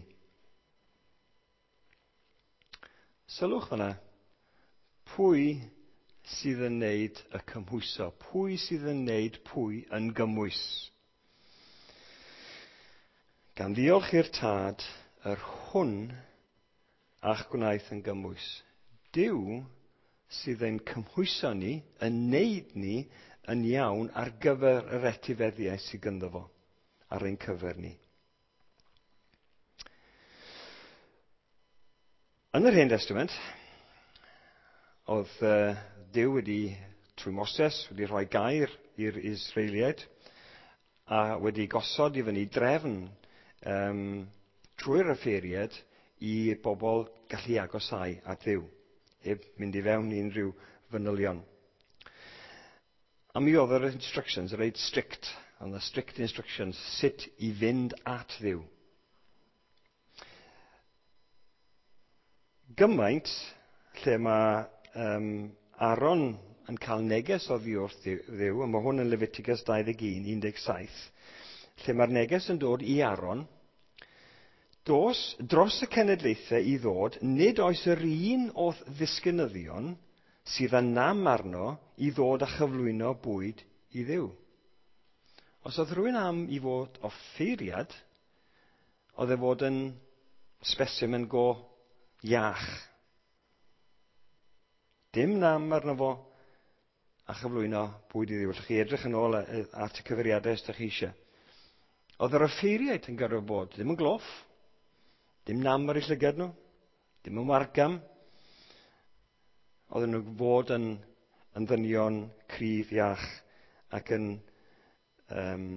[SPEAKER 1] Sylwch fyna, pwy sydd yn neud y cymhwyso? Pwy sydd yn neud pwy yn gymwys? Gan ddiolch i'r Tad, yr hwn a'ch gwnaeth yn gymwys. Duw sydd yn cymhwyso ni, yn neud ni yn iawn ar gyfer yr etifeddiaeth sydd gynddo fo, ar ein cyfer ni. Yn yr Hen Testament, oedd uh, Duw wedi, trwy Moses, wedi rhoi gair i'r Israeliaid a wedi gosod i fyny drefn um, trwy'r offeiriad i bobl gallu agosáu at Dduw, heb mynd i fewn i unrhyw fanylion. A mi oedd yr instructions reit strict, ond y strict instructions sut i fynd at Dduw. Gymaint lle mae um, Aaron yn cael neges oddi wrth Dduw, a mae hwn yn Leviticus dau ddeg un, un deg saith, lle mae'r neges yn dod i Aaron, dos dros y cenedlaethau i ddod, nid oes yr un o'th ddisgynyddion sydd â nam arno i ddod a chyflwyno bwyd i Dduw. Os oedd rhywun am i fod offeiriad, oedd e fod yn specimen go iach. Dim nam arno fo a chyflwyno bwyd i Dduw. Allwch chi edrych yn ôl at y cyfeiriadau os ydych chi eisiau. Oedd yr offeiriaid yn gorfod bod ddim yn gloff, dim nam ar eu llygad nhw, dim yn wargam. Oedden nhw fod yn, yn ddynion cryf iach ac yn, um,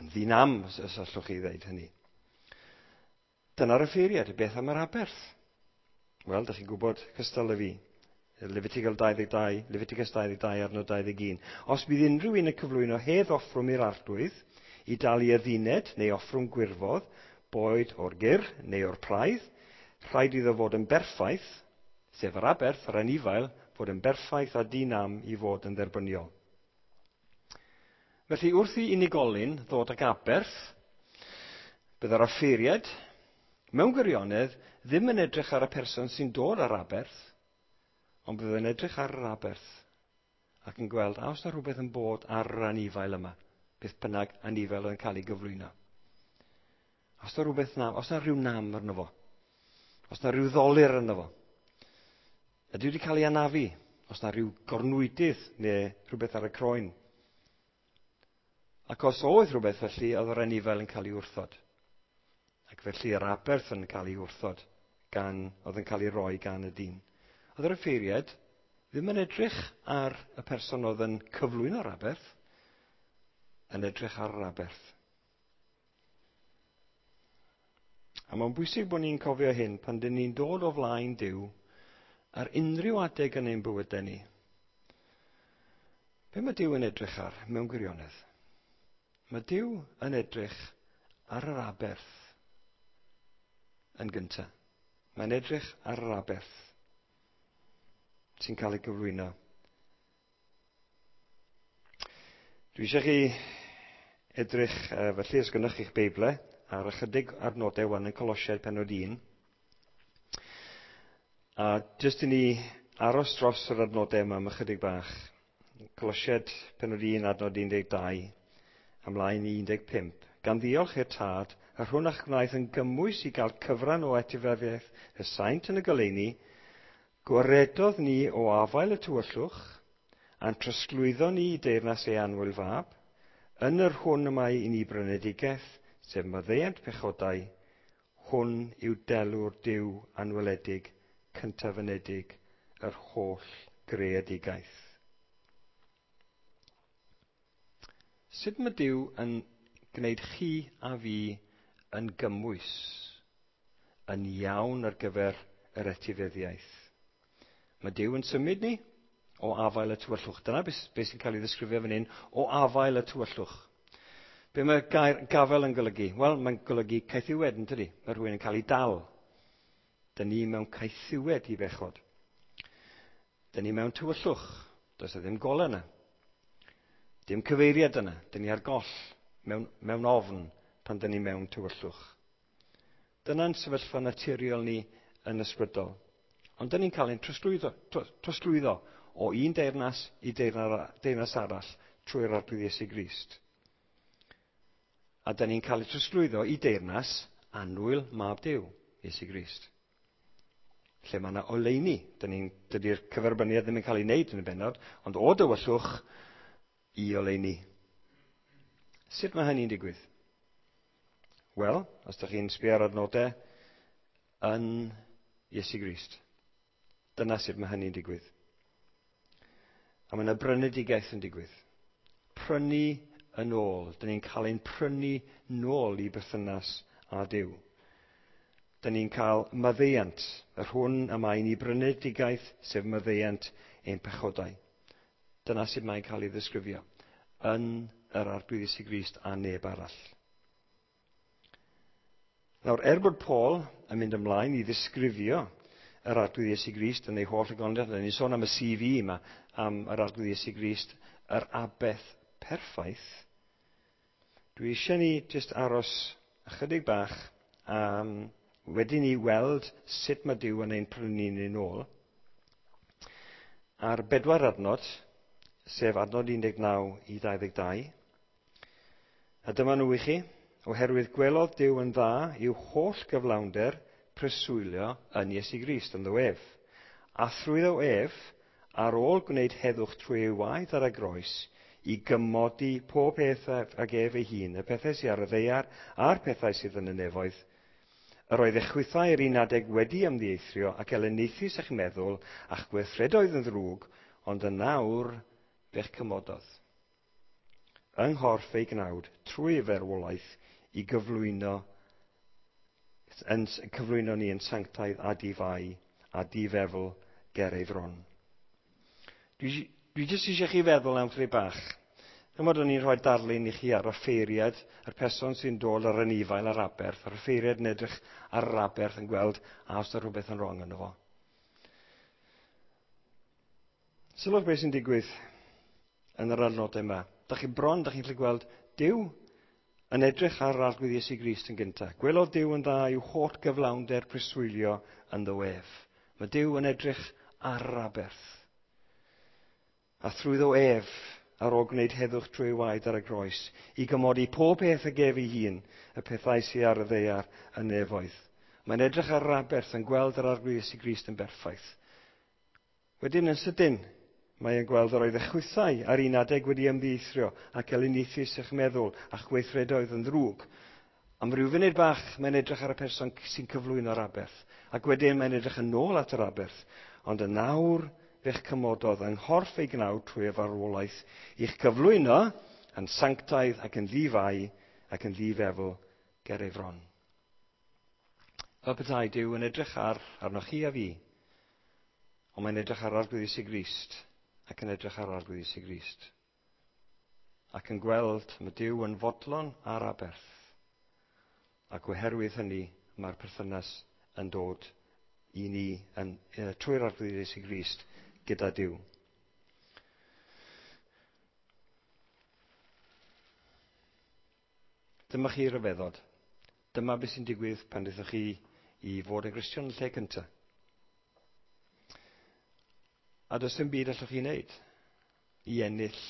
[SPEAKER 1] yn ddinam, os, os allwch chi ddeud hynny. Dyna'r offeiriad, beth am yr aberth? Wel, dych chi'n gwybod cystal â fi. Leviticus dau ddeg dau, Leviticus dau ddeg dau, adnod dau ddeg un. Os bydd unrhyw un yn cyflwyno hedd offrwm i'r Arglwydd, i dalu adduned neu offrwm gwirfodd, boed o'r gyr neu o'r praidd, rhaid iddo fod yn berffaith, sef yr aberth, yr anifail, fod yn berffaith a dinam i fod yn dderbyniol. Felly, wrth i unigolyn ddod ag aberth, bydd yr offeiriad, mewn gwirionedd, ddim yn edrych ar y person sy'n dod ar aberth, ond bydd yn edrych ar yr aberth ac yn gweld a oes na rhywbeth yn bod ar yr anifail yma, beth bynnag anifail yn cael ei gyflwyno. Os na rhywbeth nam, os na rhyw nam arno fo, os na rhyw ddolir arno fo, ydy wedi cael ei anafu, os na rhyw gornwydydd neu rhywbeth ar y croen. Ac os oedd rhywbeth felly, oedd yr anifail yn cael ei wrthod. Ac felly yr aberth yn cael ei wrthod, gan, oedd yn cael ei roi gan y dyn. Oedd yr offeiriad Ddim yn edrych ar y person oedd yn cyflwyno'r aberth, yn edrych ar yr aberth. A mae'n bwysig bod ni'n cofio hyn pan dyn ni'n dod o flaen Duw ar unrhyw adeg yn ein bywydau ni. Be mae Duw yn edrych ar mewn gwirionedd? Mae Duw yn edrych ar yr aberth yn gyntaf. Mae'n edrych ar yr aberth sy'n cael ei gyflwyno. Dwi eisiau chi edrych, felly, os gynnwch chi'ch Beiblau, ar ychydig adnodau wan yn Colosiaid pennod un. A jyst i ni aros dros yr adnodau yma am ychydig bach. Colosiaid pennod un, adnod un deg dau, ymlaen i un deg pump. Gan ddiolch i'r Tad, yr hwn a'ch gwnaeth yn gymwys i gael cyfran o etifeddiaeth y saint yn y goleuni, gwaredodd ni o afael y tywyllwch, a'n trosglwyddo ni i deyrnas ei annwyl fab, yn yr hwn y mae i ni brynedigaeth, sef maddeuant pechodau, hwn yw delw'r Duw anweledig, cyntafynedig, yr holl greadigaeth. Sut mae Duw yn gwneud chi a fi yn gymwys, yn iawn ar gyfer yr etifeddiaeth? Mae Duw yn symud ni o afael y tywyllwch. Dyna beth sy'n cael ei ddisgrifio fan hyn, o afael y tywyllwch. Be mae gair gafel yn golygu? Wel, mae'n golygu caethiwed, yn tydi? Mae rhywun yn cael ei dal. Dyn ni mewn caethiwed i bechod. Dyn ni mewn tywyllwch. Does e ddim golau yna. Dim cyfeiriad yna. Dyn ni ar goll mewn, mewn ofn pan dyn ni mewn tywyllwch. Dyna'n sefyllfa naturiol ni yn ysbrydol. Ond dyn ni'n cael ein trosglwyddo, trosglwyddo o un deyrnas i deyrnas arall trwy'r Arglwydd Iesu Grist. A dyn ni'n cael ei trosglwyddo i deyrnas annwyl mab Duw, Iesu Grist. Lle mae yna oleuni. Dydy'r cyferbyniad ddim yn cael ei wneud yn y bennod, ond o dywyllwch i oleuni. Sut mae hynny'n digwydd? Wel, os ydych chi'n sbio ar adnodau, yn Iesu Grist. Dyna sut mae hynny'n digwydd. A mae yna brynedigaeth yn digwydd. Prynu yn ôl. Dyn ni'n cael ein prynu nôl i berthynas â Duw. Dyn ni'n cael maddeuant, yr hwn y mae ni brynedigaeth, sef maddeuant ein pechodau. Dyna sut mae'n cael ei ddisgrifio yn yr Arglwydd Iesu Grist a neb arall. Nawr, er bod Paul yn mynd ymlaen i ddisgrifio yr Arglwydd Iesu Grist yn ei holl ogoniant, ni'n sôn am y C V yma, am yr Arglwydd Iesu Grist, yr aberth perffaith, dwi eisiau ni jyst aros ychydig bach um, wedi ni weld sut mae Duw yn ein prynu ni'n ôl. Ar bedwar adnod, sef adnod un deg naw i dau ddeg dau, a dyma nhw i chi, oherwydd gwelodd Duw yn dda i'w holl gyflawnder preswylio yn Iesu Grist ynddo ef. A thrwyddo ef, ar ôl gwneud heddwch trwy ei waed ar y groes, i gymodi pob peth ag ef ei hun, y pethau sydd ar y ddaear a'r pethau sydd yn y nefoedd. Yr oedd eich chwithau yr un adeg wedi ymddieithrio ac elyniaethus eich meddwl a'ch gweithredoedd yn ddrwg, ond yn nawr fe'ch cymododd. Yng nghorff ei gnawd, trwy ei farwolaeth, i gyflwyno, yn, cyflwyno ni yn sanctaidd a difai a difefl ger ei fron. Dwi, dwi jyst eisiau chi feddwl am chydig bach. Dyma o'n i'n rhoi darlun i chi ar y ffeiriad, yr person sy'n dod ar anifail ar aberth, a'r ffeiriad yn edrych ar yr aberth yn gweld a os yna rhywbeth yn wrong yno fo. Sylwch beth sy'n digwydd yn yr adnodau yma. Dach chi bron, dach chi'n gallu gweld Duw yn edrych ar yr Arglwydd Iesu Grist yn gyntaf. Gwelodd Duw yn dda i'w holl gyflawnder preswylio ynddo ef. Mae Duw yn edrych ar yr aberth. A thrwyddo ef, ar ôl gwneud heddwch trwy waed ar y groes, i gymodi pob peth ag ef ei hun, y pethau sydd ar y ddaear y nefoedd. Mae'n edrych ar yr aberth yn gweld yr Arglwydd Iesu Grist yn berffaith. Wedyn yn sydyn, mae'n gweld yr oedd eich chwithau ar un adeg wedi ymddieithrio ac elyniaethus eich meddwl a'ch gweithredoedd yn ddrwg. Am ryw funud bach, mae'n edrych ar y person sy'n cyflwyno'r aberth. Ac wedyn mae'n edrych yn ôl at yr aberth. Ond yn nawr, fe'ch cymododd yng nghorff ei gnawd trwy y farwolaeth i'ch cyflwyno yn sanctaidd ac yn ddifai ac yn ddifefl ger ei fron. Fel petai Duw yn edrych ar arnoch chi a fi, ond mae'n edrych ar Arglwydd Iesu Grist ac yn edrych ar Arglwydd Iesu Grist. Ac yn gweld mae Duw yn fodlon ar aberth. Ac oherwydd hynny mae'r perthynas yn dod i ni yn, e, trwy'r Arglwydd Iesu Grist gyda Duw. Dyma chi ryfeddod. Dyma beth sy'n digwydd pan ddethoch chi i fod yn Gristion yn lle cyntaf. A does dim byd allwch chi wneud i ennill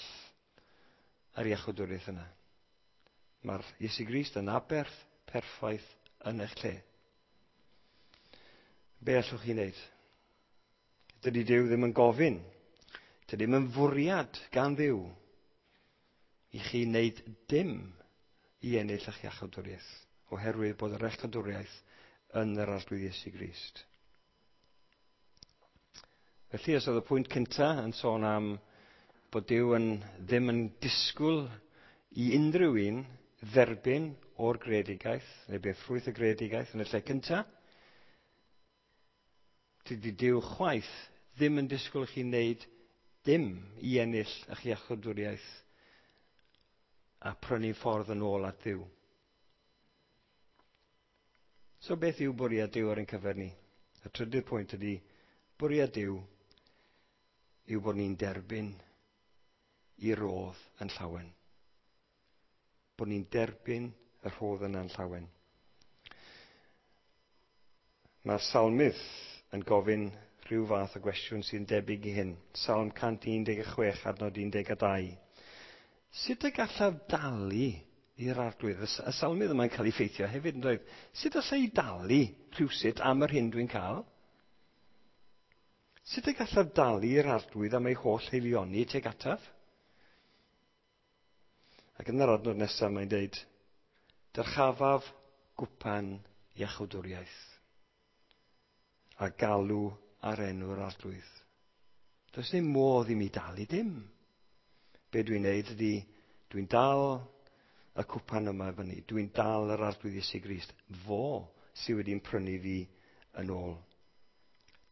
[SPEAKER 1] yr iachawdwriaeth yna. Mae'r Iesu Grist yn aberth perffaith yn eich lle. Be allwch chi wneud? Dydy Duw ddim yn gofyn. Dydy ddim yn fwriad gan Dduw i chi wneud dim i ennill eich iachawdwriaeth, oherwydd bod yr iachawdwriaeth yn yr Arglwydd Iesu Grist. Felly, os oedd y pwynt cyntaf yn sôn am bod Duw yn, ddim yn disgwyl i unrhyw un dderbyn o'r greadigaeth, neu beth ffrwyth y greadigaeth yn y lle cyntaf, dydy Duw chwaith ddim yn disgwyl chi wneud dim i ennill eich iachawdwriaeth a prynu ffordd yn ôl at Dduw. So beth yw bwriad Duw ar ein cyfer ni? Y trydydd pwynt ydy bwriad Duw yw bod ni'n derbyn i rodd yn llawen. Bod ni'n derbyn y rhodd yna'n llawen. Mae'r salmydd yn gofyn rhyw fath o gwestiwn sy'n debyg i hyn. Salm cant un deg chwech adnod un deg dau. Sut y gallaf dalu i'r Arglwydd? Y salmydd yma'n cael ei ffeithio hefyd yn dweud, sut allai i dalu rhywsut am yr hyn dwi'n cael? Sut y gallaf dalu i'r Arglwydd am ei holl haelioni tuag ataf? Ac yn yr adnod nesaf mae'n dweud, dyrchafaf gwpan iachawdwriaeth a galw ar enw'r Arglwydd. Does dim modd i mi dalu dim. Be dwi'n neud ydy, dwi'n dal y cwpan yma fyny. Dwi'n dal yr Arglwydd Iesu Grist. Fo sydd wedi'n prynu fi yn ôl.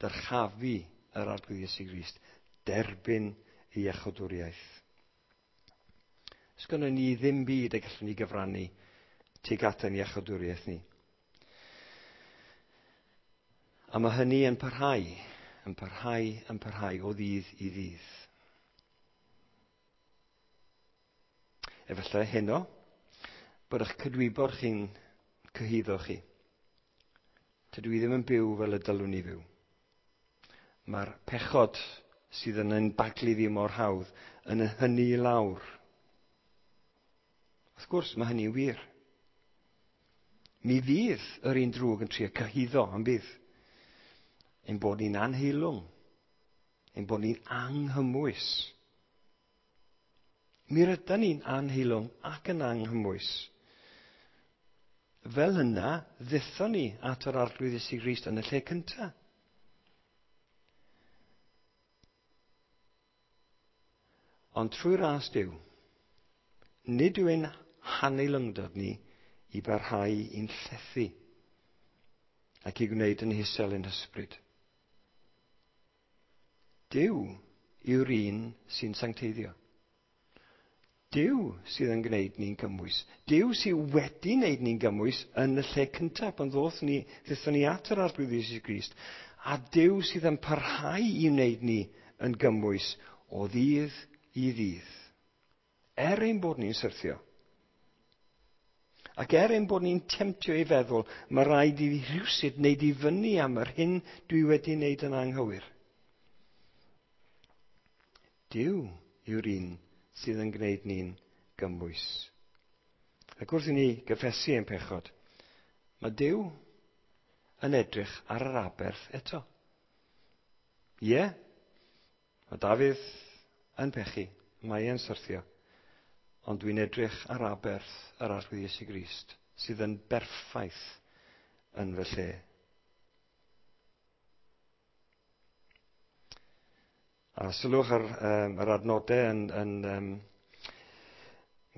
[SPEAKER 1] Dyrchafu yr Arglwydd Iesu Grist. Derbyn ei iachawdwriaeth. Sgynnon ni ddim byd y gallwn ni gyfrannu tuag at ein iachawdwriaeth ni. A mae hynny yn parhau, yn parhau, yn parhau o ddydd i ddydd. Efallai heno, bod eich cydwybod chi'n cyhuddo chi. Tydw i ddim yn byw fel y dylwn i fyw. Mae'r pechod sydd yn ein baglu fi mor hawdd yn hynny i lawr. Wrth gwrs, mae hynny'n wir. Mi fydd yr un drwg yn trio cyhuddo, yn bydd. Ein bod ni'n anheilwng. Ein bod ni'n anghymwys. Mi rydan ni'n anheilwng ac yn anghymwys. Fel yna, ddethon ni at yr Arglwydd Iesu Grist yn y lle cyntaf. Ond trwy ras Duw, nid yw ein haneilwngdod ni i barhau i'n llethu ac i gwneud yn hisel ein hysbryd. Duw yw'r un sy'n sancteiddio. Duw sydd yn gwneud ni'n gymwys. Duw sydd wedi wneud ni'n gymwys yn y lle cyntaf pan ddoth ni, ddaethon ni at yr Arglwydd Iesu Grist. A Duw sydd yn parhau i wneud ni yn gymwys o ddydd i ddydd. Er ein bod ni'n syrthio. Ac er ein bod ni'n temtio i feddwl, mae rhaid i fi rhywsut wneud i fyny am yr hyn dwi wedi wneud yn anghywir. Duw yw'r un sydd yn gwneud ni'n gymwys. Ac wrth i ni gyffesu ein pechod, mae Duw yn edrych ar yr aberth eto. Ie, mae Dafydd yn pechu, mae e'n syrthio, ond dwi'n edrych ar aberth yr Arglwydd Iesu Grist, sydd yn berffaith yn fy lle. A sylwch ar um, yr adnodau yn, yn um,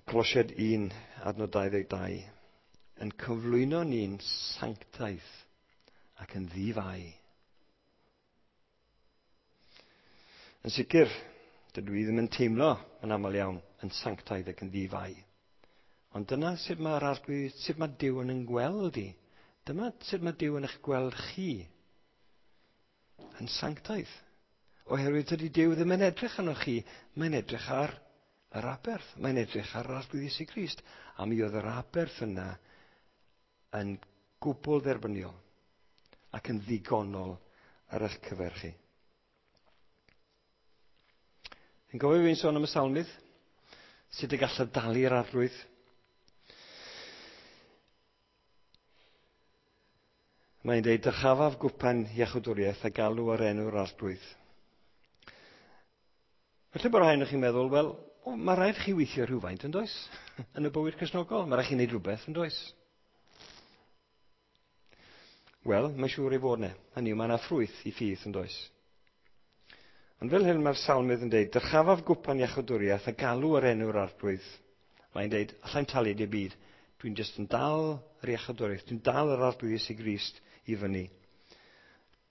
[SPEAKER 1] Colosiaid un, adnod dau ddeg dau, yn cyflwyno ni'n sanctaidd ac yn ddifai. Yn sicr, dydw i ddim yn teimlo yn aml iawn yn sanctaidd ac yn ddifai. Ond dyna sut mae'r Arglwydd, sut mae Duw yn yn gweld i. Dyma sut mae Duw yn eich gweld chi. Yn sanctaidd. Oherwydd tydi Duw ddim yn edrych arnoch chi, mae'n edrych ar yr aberth. Mae'n edrych ar yr Arglwydd Iesu Grist. A mi oedd yr aberth yna yn gwbl dderbyniol ac yn ddigonol ar eich cyfer chi. Yn gofio fi'n sôn am y salmydd? Sut y gallaf dalu'r Arglwydd? Mae'n dweud, dyrchafaf gwpan iachawdwriaeth a galw ar enw'r Arglwydd. Felly bod rhai ohonoch chi'n meddwl, wel, o, mae rhaid chi weithio rhywfaint, yn does? Yn y bywyd Cristnogol, mae rhaid chi wneud rhywbeth, yn does? Wel, mae'n siŵr ei fod yna. Hynny yw, mae yna ffrwyth i ffydd, yn does? Ond fel hyn mae'r salmydd yn dweud, dyrchafaf gwpan iachawdwriaeth a galw ar enw'r Arglwydd. Mae'n dweud, allai'm talu dim byd. Dwi'n jyst yn dal yr iachawdwriaeth, dwi'n dal yr Arglwydd Iesu Grist i fyny.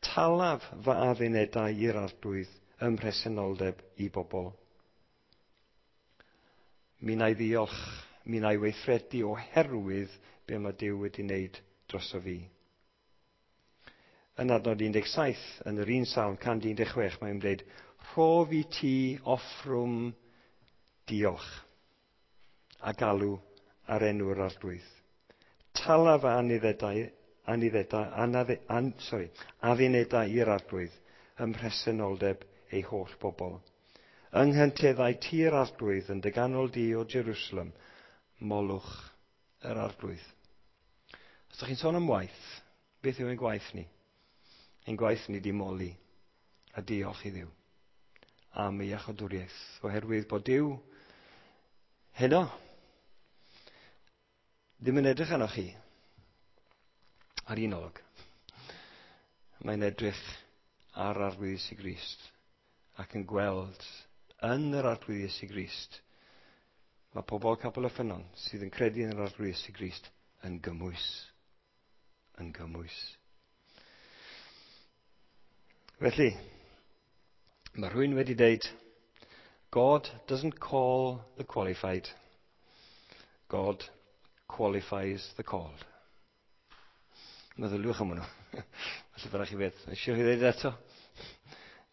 [SPEAKER 1] Talaf fy addunedau i'r Arglwydd ym mhresenoldeb i bobl. Mi wna i ddiolch, mi wna i weithredu oherwydd be mae Duw wedi wneud droso fi. Yn adnod un deg saith, yn yr un salm, cant un deg chwech, mae'n dweud, rhof i ti offrwm diolch a galw ar enw'r Arglwydd. Talaf anuddedau, anuddedau, anadde, an, sorry, addunedau i'r Arglwydd ym mhresenoldeb ei holl bobl. Yng nghynteddau tir Arglwydd yn dy ganol di o Jerusalem, molwch yr Arglwydd. Os ydych chi'n sôn am waith, beth yw ein gwaith ni? Ein gwaith ni di moli a diolch i Dduw am ei iachawdwriaeth, oherwydd bod Duw heno ddim yn edrych arnoch chi ar un olwg. Mae'n edrych ar Arglwydd Iesu Grist ac yn gweld yn yr Arglwydd Iesu Grist mae pobl Capel y Ffynnon sydd yn credu yn yr Arglwydd Iesu Grist yn gymwys. Yn gymwys. Felly, mae rhywun wedi dweud, God doesn't call the qualified. God qualifies the called. Meddyliwch am hwnnw. Felly byddwch chi beth. Eisiau chi ddweud eto?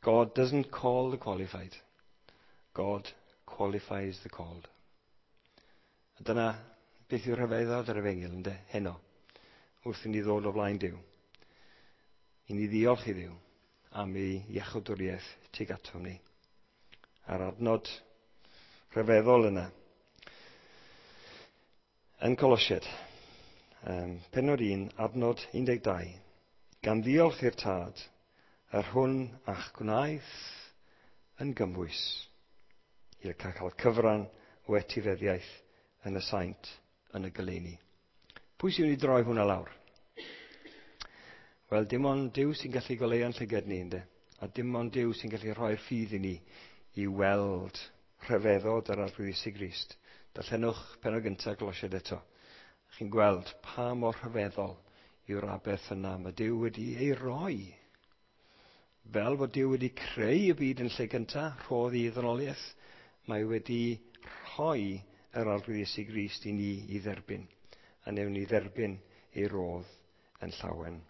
[SPEAKER 1] God doesn't call the qualified. God qualifies the called. A dyna beth yw'r rhyfeddod yr efengyl, ynde, heno, wrth i ni ddod o flaen Duw. I ni ddiolch i Dduw am ei iachawdwriaeth tuag atom ni. A'r adnod rhyfeddol yna. Yn Colosiaid, um, pennod un, adnod un deg dau. Gan ddiolch i'r Tad, yr hwn a'ch gwnaeth yn gymwys i'r cael cyfran o etifeddiaeth yn y saint yn y goleuni. Pwy sy'n mynd i droi hwnna lawr? Wel, dim ond Duw sy'n gallu goleuo'n llygad ni, ynde? A dim ond Duw sy'n gallu rhoi'r ffydd i ni i weld rhyfeddod yr Arglwydd Iesu Grist. Darllenwch pennod gyntaf Colosiaid eto. Chi'n gweld pa mor rhyfeddol yw'r aberth yna mae Duw wedi ei roi. Fel bod Duw wedi creu y byd yn lle gyntaf, rhodd i ddynoliaeth, mae wedi rhoi yr Arglwydd Iesu Grist i ni i dderbyn. A newn ni dderbyn ei rodd yn llawen.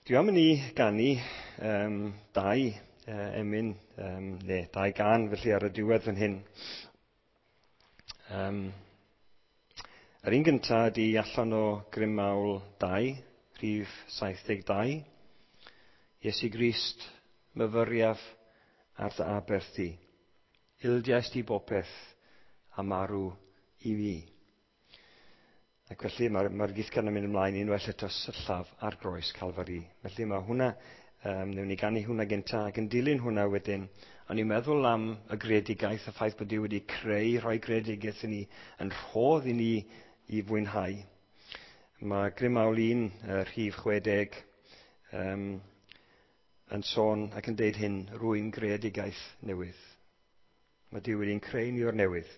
[SPEAKER 1] Dwi am i ni ganu um, dau uh, emyn, um, neu dau gan felly ar y diwedd fan hyn. Um, yr un gyntaf ydy allan o Grym Mawl dau, rhif saith deg dau. Iesu Grist, myfyriaf ar dy aberth di. Ildiais di bopeth a marw i mi. Ac felly mae'r mae githgan yn mynd ymlaen unwaith eto syllaf ar groes Calfari. Felly mae hwnna, um, newn ni ganu hwnna gynta, ac yn dilyn hwnna wedyn, o'n i'n meddwl am y greadigaeth, y ffaith bod Duw wedi creu, rhoi greadigaeth i ni, yn rhodd i ni i fwynhau. Mae Grym Mawl un, uh, rhif chwe deg, um, yn sôn ac yn deud hyn, rwy'n greadigaeth newydd. Mae Duw wedi'n creu ni o'r newydd,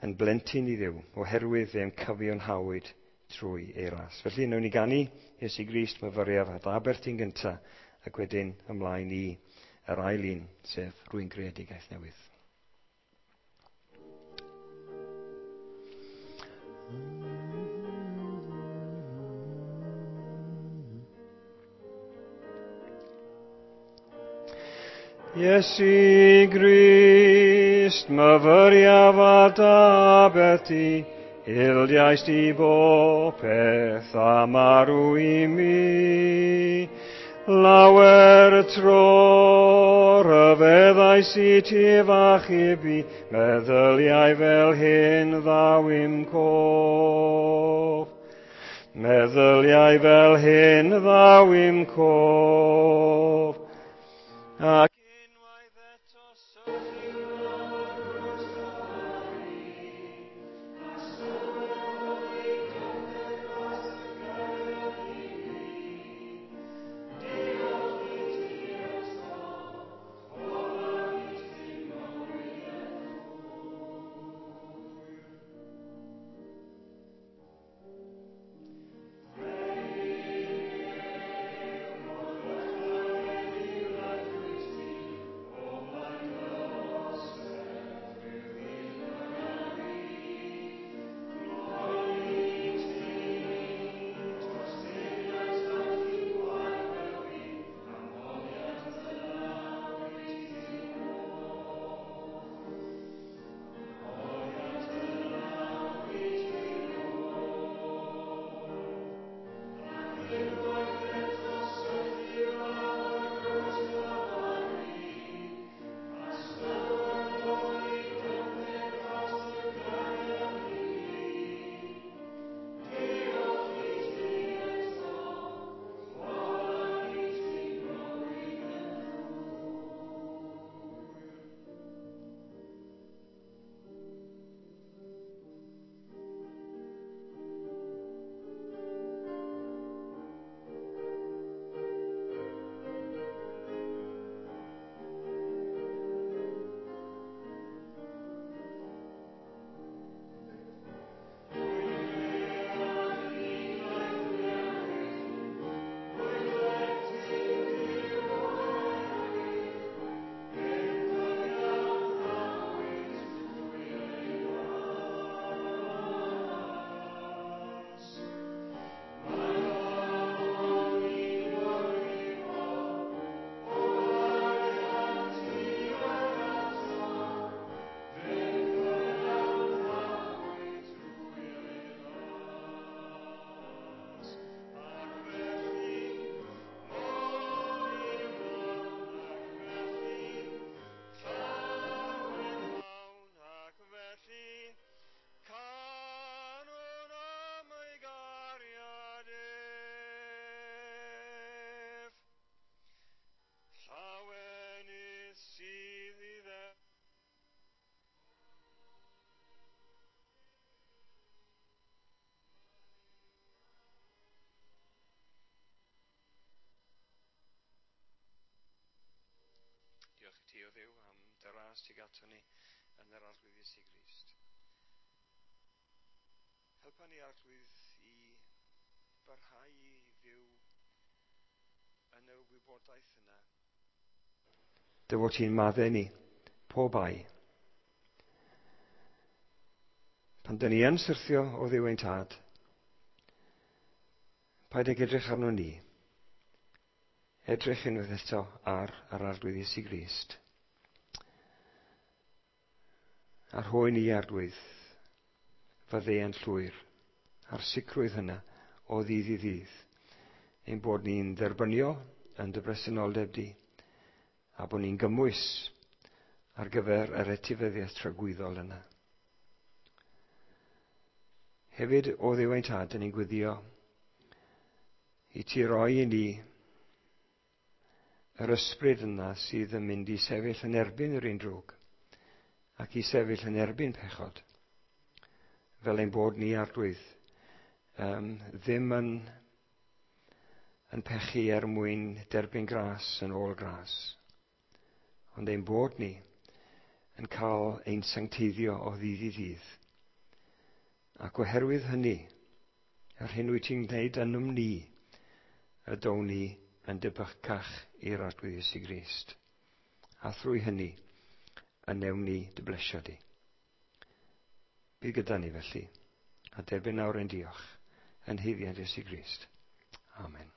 [SPEAKER 1] yn blentyn i Dduw, oherwydd fe'n cyfiawnhawyd trwy ei ras. Felly, wnawn ni ganu Iesu Grist myfyriaf at aberth ti'n gynta, ac wedyn ymlaen i yr ail un, sef rwy'n greadigaeth newydd. Iesu Grist, myfyriaf at aberth ti, ildiaist i bopeth a marw i mi. Lawer tro rhyfeddais i ti f'achub i, meddyliau fel hyn ddaw i'm cof. Meddyliau fel hyn ddaw i'm cof. Ac unwaith eto syrthio Diolch i ti, o Dduw, am dy ras tuag ato ni yn yr Arglwydd Iesu Grist. Helpa ni, Arglwydd, i barhau i fyw yn y wybodaeth yna. Dy fod ti'n maddau ni, pob ai. Pan dyn ni yn syrthio o Dduw ein tad, paid ag edrych arno ni. Edrych unwaith eto ar yr Arglwydd Iesu Grist. A rhoi ni, Arglwydd, faddeuant llwyr, a'r sicrwydd hynna o ddydd i ddydd, ein bod ni'n dderbyniol yn dy bresenoldeb di, a bod ni'n gymwys ar gyfer yr etifeddiaeth tragwyddol yna. Hefyd, o Dduw ein tad, dyn ni'n gweddio i ti roi i ni yr ysbryd yna sydd yn mynd i sefyll yn erbyn yr un drwg ac i sefyll yn erbyn pechod, fel ein bod ni, Arglwydd, um, ddim yn, yn pechu er mwyn derbyn gras yn ôl gras, ond ein bod ni yn cael ein sancteiddio o ddydd i ddydd. Ac oherwydd hynny, yr hyn wyt ti'n gwneud ynom ni, y down ni yn debycach i'r Arglwydd Iesu Grist. A thrwy hynny, y newn ni dy blesio di. Bydd gyda ni felly, a derbyn nawr ein diolch yn haeddiant Iesu Grist. Amen.